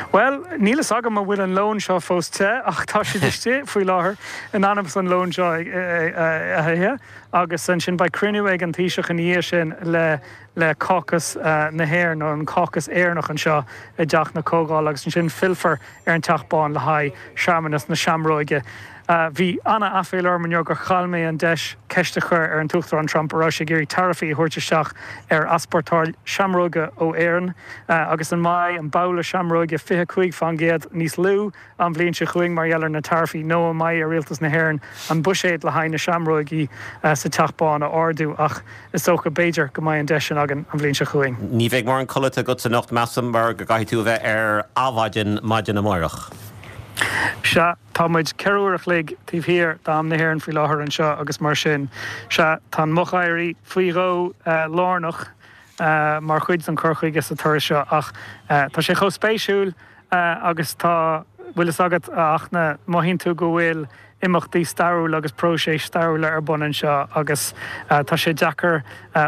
Bhuel, níl fhios agam an bhfuil an lón seo fós te, ach tá siad istigh faoi láthair in ainm is an lón seo a ithe, agus ansin beidh cruinniú ag an Taoiseach ina dhiaidh sin le le Caucus na hÉireann, nó an Caucus Éireannach anseo i dTeach na Comhdhála, agus ansin fillfear ar an Teach Bán le haghaidh searmanas na seamróige. Bhí an-aiféala orm inniu gur chaill mé an deis ceist a chur ar an tUachtarán Trump an raibh sé ag iarraidh taraifí a thabhairt isteach ar easpórtáil seamróige ó Éirinn agus an mbeidh an babhla seamróige 25% níos lú an bhliain seo chugainn mar gheall ar na taraifí nó an mbeidh ar Rialtas na hÉireann an buiséad le haghaidh na seamróigí sa Teach Bán a ardú ach is dócha, b'fhéidir, go mbeidh an deis sin againn an bhliain seo chugainn. Ní bheidh mórán codlata agatsa anocht, measaim, mar go gcaithfidh tú a bheith ar adhmhaidin maidin amárach. Sea. Tá muid 4 uair a chloig taobh thiar d'am na hÉireann faoi láthair anseo agus mar sin, sea, tá an moch-éirí faoi dhó lárnach mar chuid den chur chuige sa turas seo ach tá sé chomh spéisiúil agus tá, bhfuil fhios agat, a Fhachtna, mothaíonn tú go bhfuil imeachtaí stairiúla agus próiseas stairiúla ar bun anseo agus tá sé deacair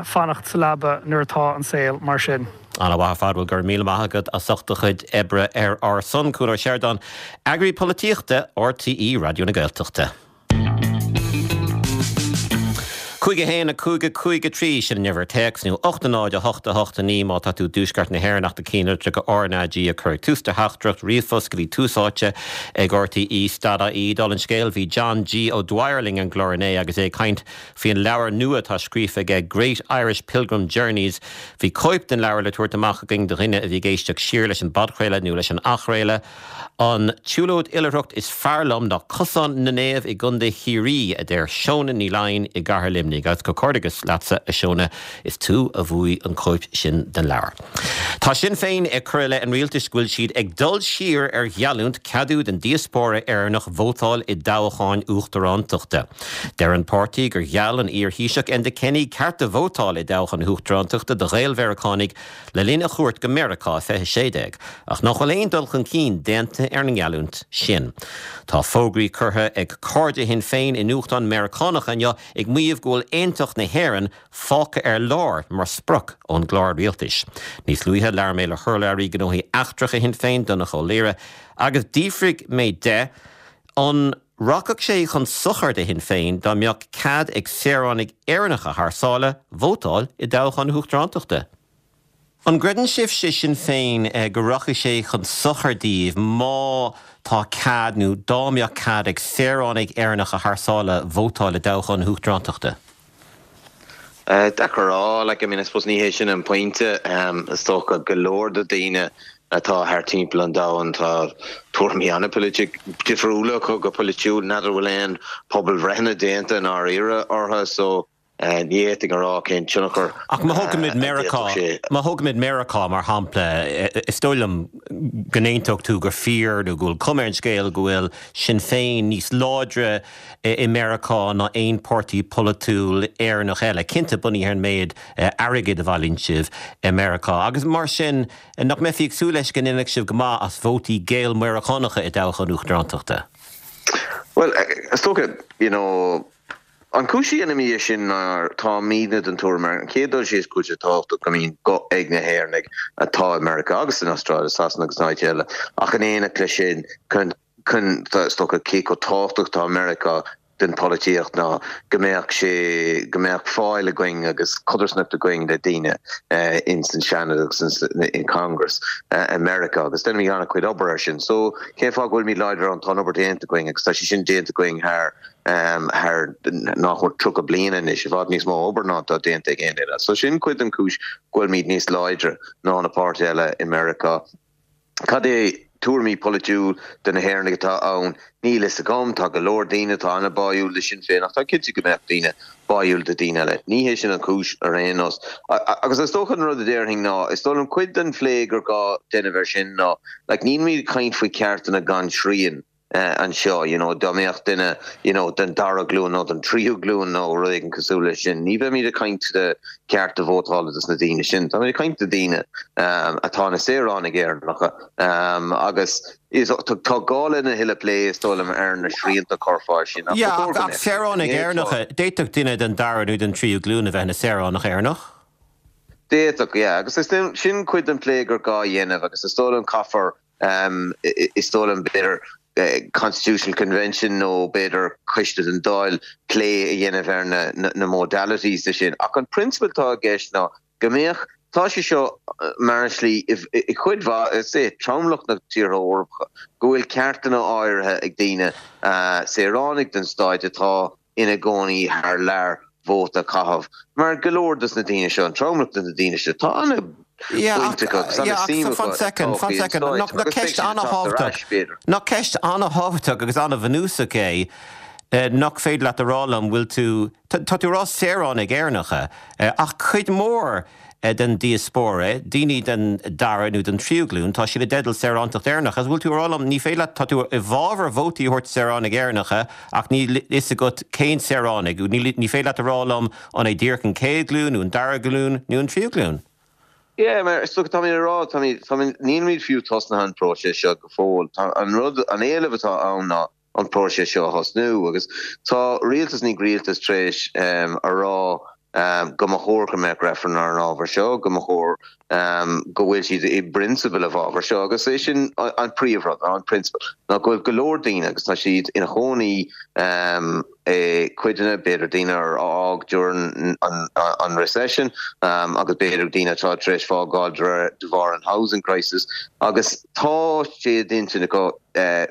fanacht sa leaba nuair atá an saol mar sin. Ana-mhaith ar fad. Bhuel, go raibh míle maith agat as ucht do chuid oibre ar ár son. Cuan Ó Seireadáin, Eagraí Polaitíochta RTÉ Raidió na Gaeltachta. 5 1 5 5 3, sin an uimhir téacs, nó 8 0 8 8 9 má tá tú i dtuaisceart na hÉireann ach do cinnlitreacha RnaG a chur ag tús do theachtaireacht ríomhphost go dtí Tús Áite ag RTÉ dot ie. Dála an scéil, bhí John G. O'Dwyer linn ar an gclár inné agus é ag caint faoin leabhar nua atá scríofa aige Great Irish Pilgrim Journeys. Bhí cóip den leabhar le tabhairt amach againn do dhuine a bhí ag éisteacht siar leis an bpodchraoladh nó leis an athchraoladh. An tsiúlóid oilithreacht is fearr liom ná Cosán na Naomh i gContae Chiarraí, a deir Shona Ní Laighin i gCathair Luimnigh. Agus comhghairdeas leatsa, a Shona, is tú a bhuaigh an chóip sin den leabhar. Tá Sinn Féin ag cur i leith an rialtais go bhfuil siad ag dul siar ar gheallúint ceadú don diaspóra Éireannach vótáil i dtoghcháin uachtarántachta. Deir an páirtí gur gheall an iar-Thaoiseach Enda Kenny cearta vótáil i dtoghchán na huachtarántachta do Ghael-Mheiriceánaigh le linn a chuairt go Meiriceá i 2016, ach nach bhfuil aon dul chun cinn déanta ar an ngeallúint sin. Tá fógraí curtha ag cairde Shinn Féin i nuachtáin Meiriceánacha inniu ag maíomh go bhfuil aontacht na hÉireann fágtha ar lár mar sprioc ón gclár rialtais. Níos luaithe labhair mé le hurlabhraí gnóthaí eachtracha Shinn Féin, Donncha Ó Laoghaire, agus d'fhiafraigh mé de an rachadh sé chun sochair do Shinn Féin dá mbeadh cead ag saoránaigh Éireannacha thar sáile vótáil i dtoghchán na huachtarántachta? An gcreideann sibhse, Sinn Féin, go rachaidh sé chun sochair daoibh má tá cead nó dá mbeadh cead ag saoránaigh Éireannacha thar sáile vótáil i dtoghchán na hUachtarántachta? Deacair a rá, like, I mean, I suppose ní hé sin an pointe. Is dócha go leor de daoine atá thar timpeall an domhain, tá tuairimí an-difriúla acu go polaitiúil, n'fheadar bhfuil aon pobalbhreitheanna déanta i ndáiríre orthu, so Ní fhéadfainn a rá cén tionchar Ach má thógaimid a Meiriceá, d'fhéadfadh sé. má thógaimid Meiriceá mar shampla, is dóigh liom go n-aontódh tú gur fíor nó go bhfuil cuma ar an scéal go bhfuil Sinn Féin níos láidre i Meiriceá ná aon páirtí polaitiúil Éireannach eile, cinnte bunaithe ar an méid airgid a bhailíonn sibh i Meiriceá. Agus mar sin, nach mbeifí ag súil leis go ndéanfadh sibh go maith as vótaí Gael-Mheiriceánacha i dtoghchán uachtarántachta? Bhuel, is dócha, you know, An chúis a dhéanaimid é sin ná táimidne den tuairim ar an chéad dul síos go bhfuil sé tábhachtach go mbíonn guth ag na hÉireannaigh atá i Meiriceá agus san Astráil, i Sasana agus in áit eile ach in éineacht leis sin chun chun is dócha cé chomh tábhachtach atá Meiriceá den pholaitíocht ná go mbeadh sé go mbeadh fáil againn agus codarsnacht againn le daoine ins an Seanad agus ins in Congress i Meiriceá agus déanaimid an-chuid obair ar sin. So cén fáth go bhfuilimid láidir ann? Tá an obair déanta againn agus tá sé sin déanta againn thar thar nach mór 30 bliain anois, i bhfad níos mó obair ná atá déanta ag aon duine. So sin cuid den chúis go bhfuilimid níos láidre ná na páirtithe eile i Meiriceá. Cad é tuairimí polaitiúil de na hÉireannaigh atá ann? Níl fhios agam. Tá go leor daoine atá an-báúil le Sinn Féin ach tá cinnte go mbeadh daoine báúil do daoine eile. Ní hé sin an chúis ar aon nós. Agus is dócha an rud a déarfainn ná, is dóigh liom cuid den phlé gur gá déanamh air sin ná, like, nílimid ag caint faoi ceartanna gan srian. anseo, you know, dá mbeadh duine, you know, den dara glúin nó den tríú glúin nó rud éigin cosúil leis sin, ní bheimid ag caint de cearta vótála dos na daoine sin. Táimid ag caint de daoine atá ina saoránaigh Éireannacha agus tá gá lena thuilleadh plé, is dóigh liom, ar na srianta a chuirfeá air sin. Yeah, ach saoránaigh Éireannacha, d'fhéadfadh duine den dara nó den tríú glúin a bheith ina saoránach Éireannach. D'fhéadfadh, yeah, agus is sin cuid den plé gur gá a dhéanamh agus is dóigh liom caithfear Is dóigh liom, b'fhéidir, Constitutional Convention nó b'fhéidir coiste den Dáil plé a dhéanamh ar na modalities de sin. Ach an prionsabal atá i gceist ná go mbeadh, tá sé seo mar an slí i cuid mhaith, is é tromlach na tíortha Eorpacha, go bhfuil ceartanna áirithe ag daoine, saoránaigh den stáit atá ina gcónaí thar lear vóta a chaitheamh, mar go leor dos na daoine seo, an tromlach de na daoine seo, tá an-bhaint acu agus an-suim acu i dtodhchaí an stáit agus beidh siad ag teacht ar ais, b'fhéidir. Nach ceist an-thábhachtach agus an-bhunúsach é nach féidir leat a rá liom, bhfuil tú, tá tú ag rá saoránaigh Éireannacha, ach cuid mhór den diaspóra, daoine den dara nó den tríú glúin, tá siad i dteideal saorántacht Éireannach. Agus bhfuil tú ag rá liom, ní féidir leat, tá tú i bhfabhar vótaí a thabhairt do saoránaigh Éireannacha ach níl fhios agat cén saoránaigh, níl, ní féidir leat a rá liom an é díreach an chéad ghlúin nó an dara glúin nó an tríú glúin. Yeah, mar is dócha, táimid ag rá, táimid, táimid, nílimid fiú tosnaithe an próiseas seo go fóill. Tá an rud, an éileamh atá ann ná an próiseas seo a thosnú agus tá rialtas i ndiaidh rialtais tar éis a rá go mba chóir go mbeadh reifreann ar an ábhar seo, go mba chóir go bhfuil siad i bprionsabal i bhfabhar seo agus é sin an príomhrud, an prionsabal, ná go bhfuil go leor daoine agus tá siad ina chónaí i cuideanna, b'fhéidir daoine ar fhág during an recession agus b'fhéidir daoine atá tar éis fágáil de bharr an housing crisis agus tá sé d'intinn acu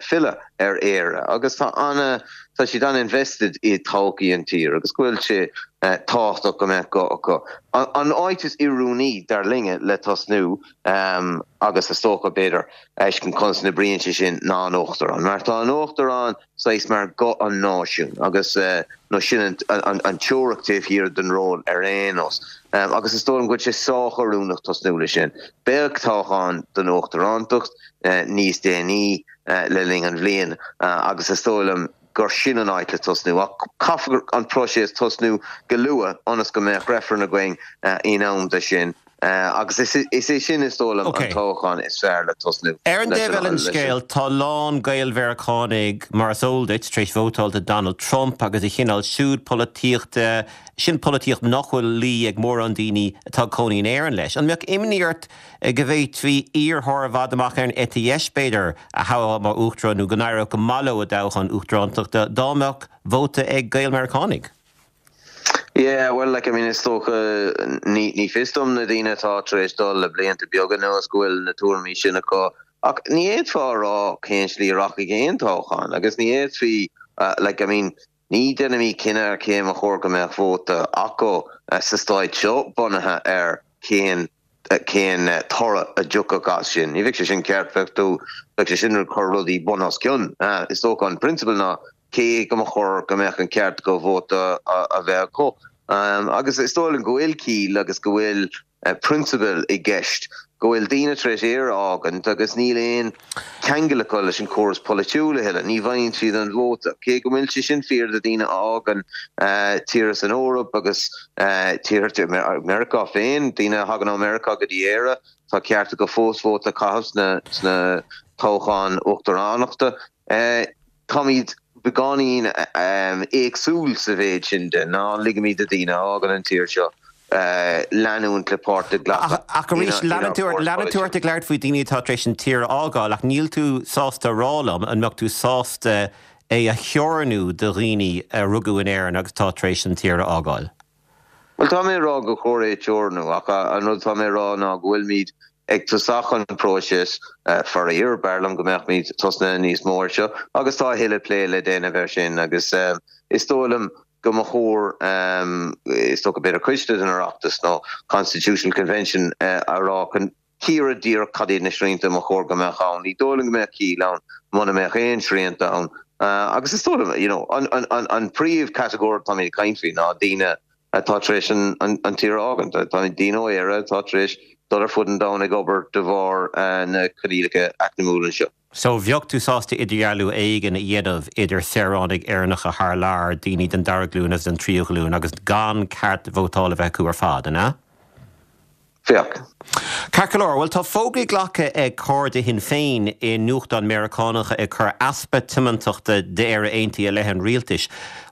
filleadh ar Éire agus tá ana, tá siad an-invested i todhchaí an tír agus go bhfuil sé tábhachtach go mbeadh guth acu. An áit is oiriúnaí, dar linne, le tosnú agus is dócha, b'fhéidir, fheiscint conas a n-oibríonn sé sin ná an Uachtarán. Mar tá an Uachtarán saghas mar guth an náisiúin agus nó sin an teoiric taobh thiar den ról ar aon nós. Agus is dóigh liom go bhfuil sé sách oiriúnach tosnú leis sin. Beidh toghchán don Uachtarántacht níos déanaí le linn an bhliain agus is dóigh liom gur sin an áit le tosnú. Ach caithfear an próiseas tosnú go luath ionas go mbeadh reifreann againn in am do sin agus is é sin is dóigh liom an toghchán is fearr le tosnú Ar an dtaobh eile den scéal, tá a lán Gael-Mheiriceánaigh, mar is eol duit, tar éis vótáil do Donald Trump agus a chineál siúd polaitíochta, sin polaitíocht nach bhfuil luí ag mórán daoine atá ag cónaí in Éirinn leis. An mbeadh imní ort go bhféadfaí iarrthóir i bhfad amach ar an eite dheis, b'fhéidir, a thoghadh mar uachtarán nó go n-éireodh go maith leo i dtoghchán uachtarántachta dá mbeadh vóta ag Gael-Meiriceánaigh. Yeah, well, like, I mean, is dócha, ní, ní fios dom na daoine atá tar éis dul le blianta beaga anuas go bhfuil na tuairimí sin acu, ach ní fhéadfá a rá cén slí a rachaidh aon toghchán agus ní fhéadfaí, like, I mean, ní déanaimid cinneadh ar cé mba chóir go mbeadh vóta acu sa stáit seo bunaithe ar cén cén toradh a dtiocfadh as sin. Ní bheadh sé sin ceart, bheadh tú, bheadh sé sin ag cur rudaí bun os cionn. Is dócha an prionsabal ná cé go mba chóir go mbeadh an ceart acu vóta a bheith acu. Agus is dóigh liom go bhfuil ciall agus go bhfuil prionsabail i gceist, go bhfuil daoine tar éis Éire a fhágaint agus níl aon cheangal acu leis an chóras polaitiúil a thuilleadh, ní bhfaigheann siad an vóta. Cé go bhfuil sé sin fíor do dhaoine a fhágann tíortha san Eoraip agus tíortha, Meiriceá féin, daoine a thagann ó Meiriceá go dtí Éire, tá ceart acu fós vóta a chaitheamh sna toghcháin uachtaránachta. Táimid beagáinín éagsúil sa mhéid sin de, ná ligimid do dhaoine a fhágann an tír seo leanúint le páirt a ghlacadh Ach arís, leanann tú leanann tú ort ag labhairt faoi daoine atá tar éis an tír a fhágáil, ach níl tú sásta a rá liom an mbeadh tú sásta é a theorannú do dhaoine a rugadh in Éirinn agus atá tar éis an tír a fhágáil? Bhuel, tá mé ag rá gur chóir é a teorannú, ach an rud atá mé ag rá ná go bhfuilimid ag tosach an próiseas, faraor, b'fhearr liom go mbeadh muid tosnaithe níos mó air seo agus tá a thuilleadh plé le déanamh air sin agus is dóigh liom go mba chóir, is dócha b'fhéidir coiste den Oireachtas nó Constitutional Convention a rá chun cíoradh díreach cad iad na srianta mba chóir go mbeadh ann. Ní dóigh liom go mbeadh ciall ann muna mbeadh aon srianta ann agus is dóigh liom, you know, an príomhchatagóir atáimid ag caint faoi ná daoine atá tar éis an tír a fhágaint. Tá daoine ó Éire atá tar éis dul ar fud an domhain ag obair de bharr na coinníollacha eacnamúla anseo. So bheadh tú sásta idirdhealú éigin a dhéanamh idir saoránaigh Éireannacha thar lear, daoine den dara glúin agus den tríú ghlúin, agus gan ceart vótála a bheith acu ar fad, an ea? Bheadh. Ceart go leor, bhuel tá fógraí glactha ag cairde Shinn Féin i nuachtáin Meiriceánacha ag cur easpa tiomantachta d'Éire Aontaithe i leith an rialtais.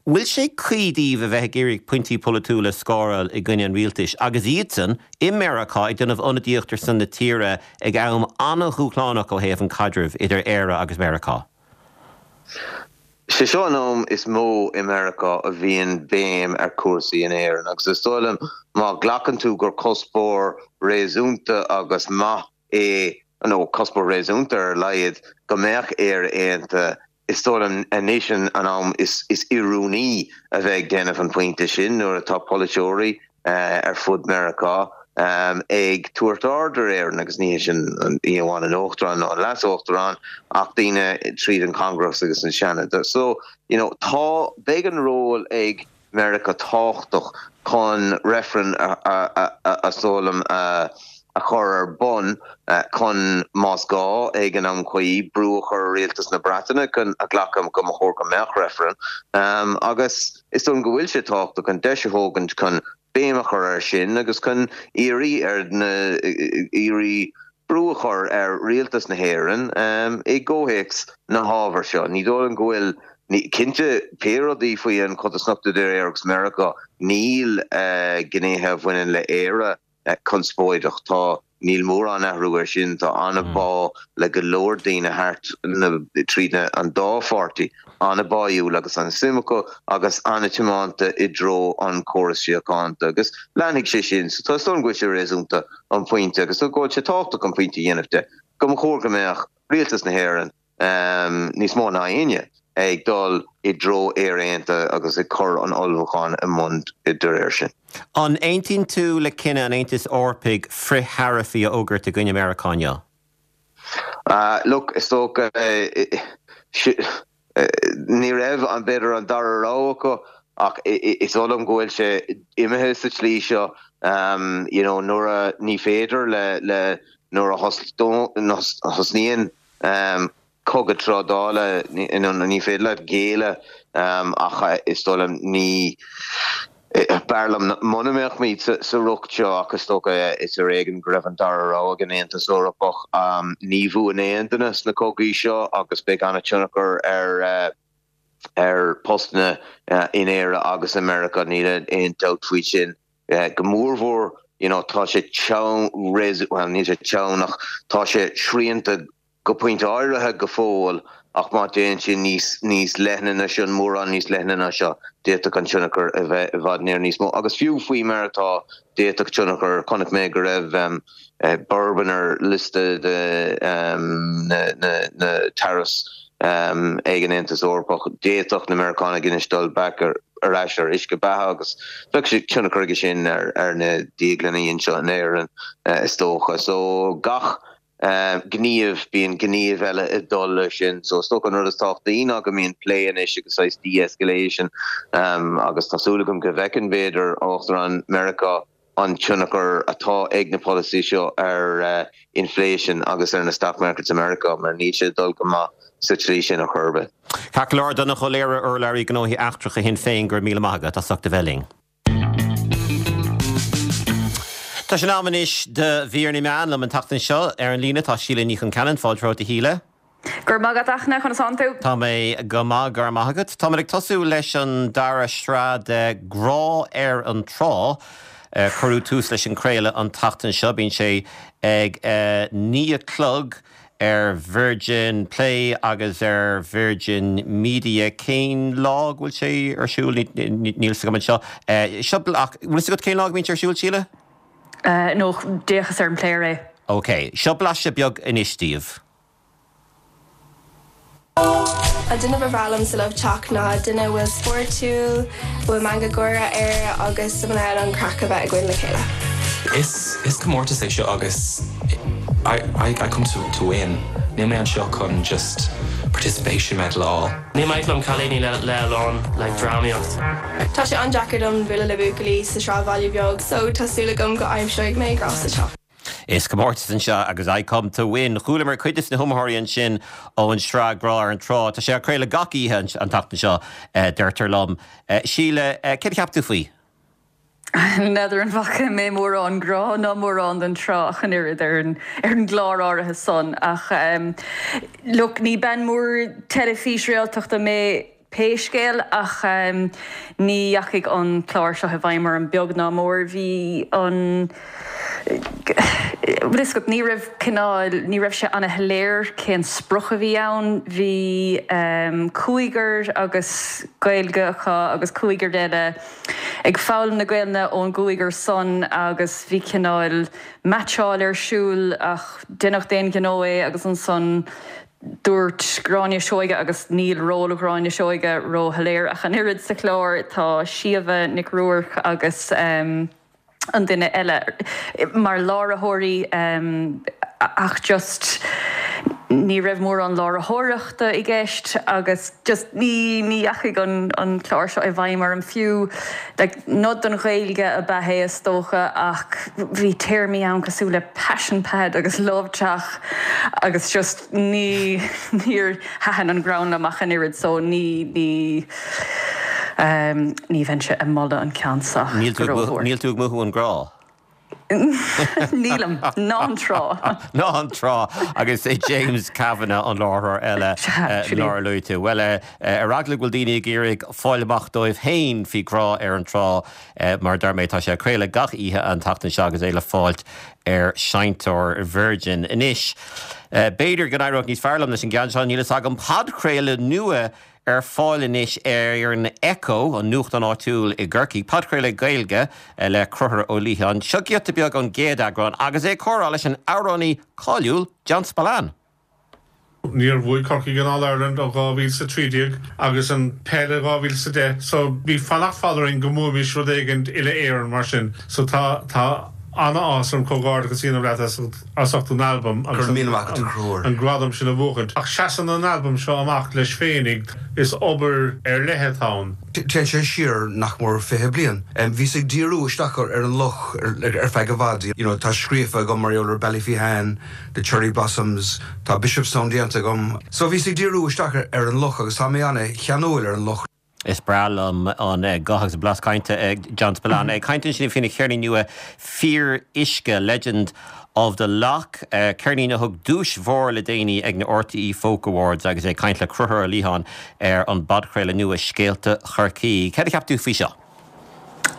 Bhfuil sé cuí daoibh a bheith ag iarraidh pointí polaitiúla a scóráil i gcoinne an rialtais agus iadsan i Meiriceá ag déanamh ionadaíocht ar son na tíre ag am an-dhúshlánach ó thaobh an caidrimh idir Éire agus Meiriceá? Sé seo an am is mó i Meiriceá a bhíonn béim ar chúrsaí in Éirinn agus is dóigh liom má ghlacann tú gur cuspóir réasúnta agus maith é, nó cuspóir réasúnta ar a laghad, go mbeadh Éire aontaithe, is dóigh liom anois an am is oiriúnaí a bheith ag déanamh an phointe sin nuair atá polaiteoirí ar fud Meiriceá ag tabhairt aird ar Éirinn agus ní hé sin ní amháin an Uachtarán nó an Leas-Uachtarán ach daoine tríd an Congress agus an Seanad. So, you know, tá, beidh an ról ag Meiriceá tábhachtach chun reifreann is dóigh liom a chur ar bun chun, más gá ag an am cuí, brú a chur ar rialtas na Breataine chun a ghlacadh go mba chóir go mbeadh reifreann agus Is dóigh liom go bhfuil sé tábhachtach an deis a thógaint chun béim a chur air sin agus chun iarraidh ar na iarraidh brú a chur ar rialtas na hÉireann i gcomhthéacs na hábhair seo. Ní dóigh liom go bhfuil, cinnte, pé rudaí faoi an chodarsnacht idir Éire agus Meiriceá, níl gnéithe a bhaineann le Éire conspóideach. Tá, níl mórán athrú air sin. Tá an-bhá le go leor daoine thart na, tríd na, an dá pháirtí, an-bháúil agus an-suim acu agus an-tiomanta i dtreo an chóras síochánta agus leanfaidh sé sin. So tá, is dóigh liom go bhfuil sé réasúnta an pointe agus go bhfuil sé tábhachtach an pointe a dhéanamh de go mba chóir go mbeadh rialtas na hÉireann, níos mó ná éinne, ag dul i dtreo Éire Aontaithe agus ag cur an ullmhúcháin i mbun de réir sin. An aontaíonn tú le cinneadh an Aontais Eorpaigh frith-tharaifí a fhógairt i gcoinne Meiriceá inniu? Look, is dócha, ní raibh, b'fhéidir, an dara rogha acu ach is dóigh liom go bhfuil sé imithe sa tslí seo, you know, nuair a, ní féidir le, le, nuair a thosnaíonn cogadh trádála, ní féidir leat géilleadh ach is dóigh liom ní, b'fhearr liom muna mbeadh muid sa riocht seo ach is dócha is ar éigean go raibh an dara rogha ag an Aontas Eorpach. Ní bhuann aon duine sna cogaí seo agus beidh an-tionchar ar ar postanna in Éire agus i Meiriceá, níl aon dabht faoi sin. Go mórmhór, you know, tá sé teann, bhuel, níl sé teann ach tá sé srianta go pointe áirithe go fóill. Ach má téann sé níos níos leithne ná sin, mórán níos leithne ná seo, d'fhéadfadh an tionchar a bheith i bhfad níos mó. Agus fiú faoi mar atá, d'fhéadfadh tionchar, chonaic mé go raibh bourbon ar liosta de na tariffs ag an Aontas Eorpach. D'fhéadfadh na Meiriceánaigh anois dul back ar ais ar uisce beatha agus bheadh sé tionchar aige sin ar na diaglanna anseo in Éirinn is dócha. So gach gníomh, bíonn gníomh eile ag dul leis sin. So is dócha an rud is tábhachtaí ná go mbíonn plé anois agus saghas de-escalation agus tá súil agam go bhfeiceann b'fhéidir Uachtarán Meiriceá an tionchar atá ag na polasaí seo ar inflation agus ar na stock markets i Meiriceá mar níl sé ag dul go maith sa tslí sin ar chor ar bith. Ceart go leor, Donnchadh Ó Laoghaire, urlabhraí gnóthaí eachtracha Shinn Féin, go raibh míle maith agat as ucht a bheith linn. Tá sé in am anois do mhír na meán liom an tseachtain seo. Ar an líne tá Síle Ní Chonceanainn, fáilte romhat a Shíle. Go raibh maith agat, a Fhachtna, conas tánn tú? Tá mé go maith, go raibh maith agat. Táimid ag tosú leis an dara sraith de Grá ar an Trá. Cuireadh tús leis an craoladh an tseachtain seo. Bíonn sé ag 9 a chlog ar Virgin Play agus ar Virgin Media. Cén lá go bhfuil sé ar siúl? Níl fhios agam anseo. Seo, ach bhfuil fhios agat cén lá go mbíonn sé ar siúl, Síle? No, d'fhéachas ar an player é. Ok. Seo blaiseadh beag anois daoibh. An duine ba bhreá liom sa Love Teach ná duine a bhfuil spórtúil, a bhfuil meangadh gáire air agus a bhfuil in ann an craic a bheith againn le chéile. Is is comórtas é seo agus I I I come to to win. Níl mé anseo chun just participation medal a fháil. Ní maith liom cailíní le le a lán like drámaíocht. Tá sé an-deacair dom bualadh le buachaillí sa sráidbhaile beag so tá súil agam go aimseoidh mé grá sa teach. Is comórtas anseo agus I come to win. Chualamar cuid de na hiomaitheoirí ansin ón sraith Grá ar an Trá. Tá sé á craoladh gach oíche an tseachtain seo, deirtear liom. Síle, céard a cheap tú faoi? N'fheadar an bhfaca mé mórán grá ná mórán den trá ach an oiread ar an ar an gclár áirithe san ach look ní bean mór teilifís réaltachta mé. Pé scéal, ach ní dheachaigh an clár seo i bhfeidhm orm beag ná mór. Bhí an, bhfuil fhios agat, ní raibh cineál, ní raibh sé ana-shoiléir cén sprioc a bhí ann. Bhí cúigear agus Gaeilge acu agus cúigear eile ag foghlaim na Gaelainne ón gcúigear san agus bhí cineál meaitseáil ar siúl ach deineadh d'aon ghnó é agus ansan Dúirt Gráinne Seoige, agus níl ról Ghráinne Seoige ró-shoiléir ach an oiread sa chlár, tá Síomha Nic Ruairc agus an duine eile mar láithreoirí ach just ní raibh mórán láithreoireachta i gceist agus just ní ní dheachaigh an an clár seo i bhfeidhm orm fiú. Like nod don Ghaeilge ab ea é is dócha ach bhí téarmaí ann cosúil le passion pad agus love teach agus just ní níor thaitin an greann liom ach an oiread so ní ní ní bheinnse ag moladh an ceann seo Níl tú go rómhór. Níl tú ag mothú an grá? Nílim. Ná an trá. Ná an trá. Agus é James Kavanagh an láithreoir eile nár luaigh tú. Bhuel, ar eagla go bhfuil daoine ag iarraidh fáil amach dóibh féin faoi Grá ar an Trá, mar a deir mé, tá sé á craoladh gach oíche an tseachtain seo agus é le fáilt ar seinnteoir Virgin. Anois, b'fhéidir go n-éireodh níos fearr liom leis an gceann seo, níl fhios agam. Podchraoladh nua Ar fáil anois ar an Echo, an nuachtán áitiúil i gCorcaigh, podchraoladh Gaeilge le Conchúr Ó Liatháin. Seo giota beag ón gcéad eagrán agus é ag comhrá leis an amhránaí cáiliúil John Spillane. Níor bhuaigh Corcaigh an All-Ireland ó 2013 agus an peil i 2010 so bhí fanacht fada orainn go mbuaimis rud éigint uile-Éireann mar sin so tá tá an-áthas orm comhghairdeachas a dhéanamh leat as as ucht an albam agus an gradam sin a bhuachaint. Ach seasann an albam seo amach leis féinig, is obair ar leith atá ann. Téann sé siar nach mór 20 bliain. Bhíos ag díriú isteach ar an loch ar feadh i bhfad. You know, tá scríofa agam mar gheall ar Ballyphehane, The Cherry Blossoms, tá Bishopstown déanta agam. So bhíos ag díriú isteach ar an loch agus tá mé ana-cheanúil ar an loch. Is breá liom an guth agus an blas cainte ag John Spillane. Ag caint ansin faoina cheirnín nua Fíor Uisce, Legend of the Lough, ceirnín a thug duais mhór le déanaí ag na RTÉ Folk Awards agus é ag caint le Conchúr Ó Liatháin ar an bpodchraoladh nua Scéalta Chorcaí. Céard a cheap tú faoi seo?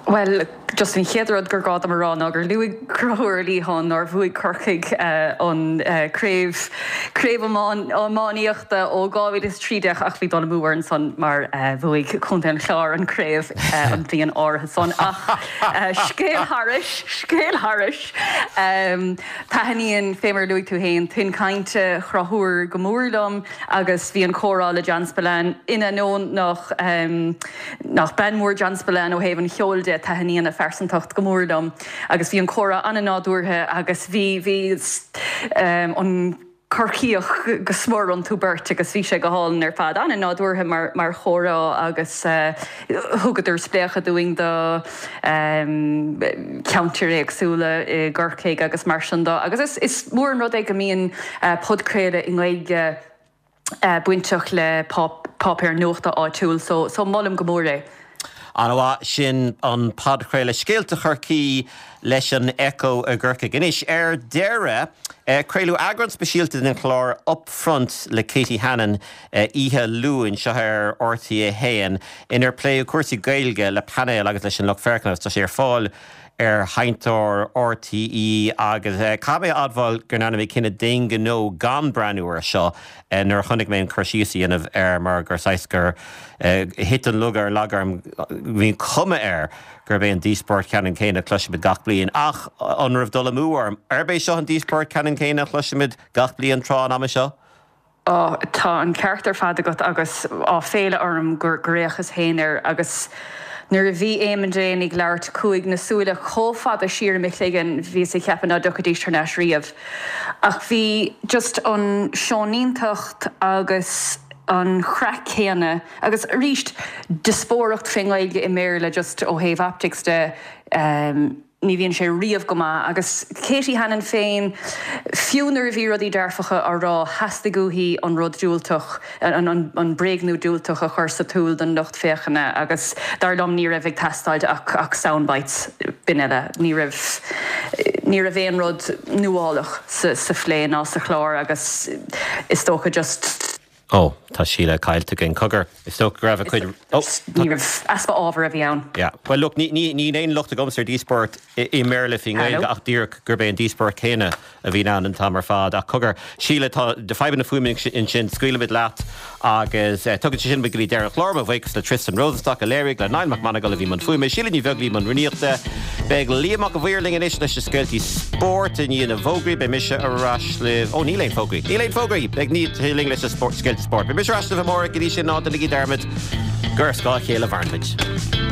Bhuel, just an chéad rud gur gá dom a rá ná gur luaigh Conchúr Ó Liatháin nár bhuaigh Corcaigh an craobh, craobh iománaíochta ó 2013 ach bhí dul amú air ansan mar bhuaigh Contae an Chláir an craobh an bhliain áirithe san. Ach scéal thairis, scéal thairis, taitníonn, fé mar a luaigh tú féin, tuin cainte Chonchúir go mór liom agus bhí an comhrá le John Spillane, in ainneoin nach, nach bean mhór John Spillane ó thaobh an cheoil de, taitníonn a phearsantacht go mór liom agus bhí an comhrá an-nádúrtha agus bhí, bhí an Corcaíoch go smior iontu beirt agus bhí sé go hálainn ar fad. An-nádúrtha mar, mar chomhrá agus thugadar spléachadh dúinn do cheantair éagsúla i gCorcaigh agus mar sin de agus is, is mór an rud é go mbíonn podchraoladh i nGaeilge bainteach le páipéar nuachta áitiúil so so molaim go mór é. An-mhaith, sin an podchraoladh Scéalta Chorcaí leis an Echo i gCorcaigh. Anois, ar deireadh, craoladh eagrán speisialta den chlár Upfront le Katie Hannon oíche Luain seo ar RTÉ 1, inar pléadh cúrsaí Gaeilge le painéal agus leis an lucht féachana agus tá sé ar fáil ar sheinnteoir RTÉ agus caithfidh mé a admháil go ndearna mé cinneadh d'aon ghnó gan breathnú air seo nuair a chonaic mé an cur síos a dhéanamh air mar gur saghas gur thit an lug ar an lag orm. Bhí an chuma air gurb é an díospóireacht ceannann céanna a chloisimid gach bliain ach an raibh dul amú orm? Arb é seo an díospóireacht ceannann céanna a chloisimid gach bliain tráth an ama seo? Á, tá an ceart ar fad agat agus áiféala orm gur fhéachas féin air agus nuair a bhí Eamon Dane ag labhairt chuaigh na súile chomh fada siar i mo chloigeann, bhíos ag ceapadh ná dtiocfaidís thar n-ais riamh. Ach bhí just an shoineantacht agus an chraic chéanna agus arís diospóireacht fén nGaeilge i mBéarla just ó thaobh optics de, Ní bhíonn sé riamh go maith. Agus Katie Hannon féin, fiú nuair a bhí rudaí dearfacha á rá, theastaigh uaithi an rud diúltach, an bréagnú diúltach a chur sa tsúil don lucht féachana agus dar liom ní raibh ag teastáilt ach sound bites, b'in uile. Ní raibh, ní raibh aon rud nuálach sa phlé ná sa chlár agus is dócha just. Ó, tá Síle caillte againn. Cogar, is dócha go raibh a cuid. Ó, tá. Ní raibh. Easpa ábhair a bhí ann. Yeah. Bhuel, look, ní, ní, níl aon locht agamsa ar díospóireacht i mBéarla faoin nGaeilge Hello? ach díreach gurb é an díospóireacht chéanna a bhíonn ann an t-am ar fad. Ach cogar, Síle, tá fadhbanna fuaime ansin, scaoilfimid leat agus tugann sé sin muid go dtí deireadh an chláir. Mo bhuíochas le Tristan Rosenstock a léirigh, le Niall Mac Monagail a bhí i mbun fuaime, Síle Ní Bheaglaoí i mbun rúnaíochta. Beidh Liam Mac a' Mhaoir linn anois leis na scéaltaí spóirt i ndiaidh na bhfógraí. Beidh mise ar ais libh. Ó, níl aon fógraí. Níl aon fógraí! Beidh sé linn leis na scéalta spóirt. Beidh mise ar ais libh amárach. Go dtí sin, ná déanaigí dearmad gur ar scáth a chéile a mhaireann muid.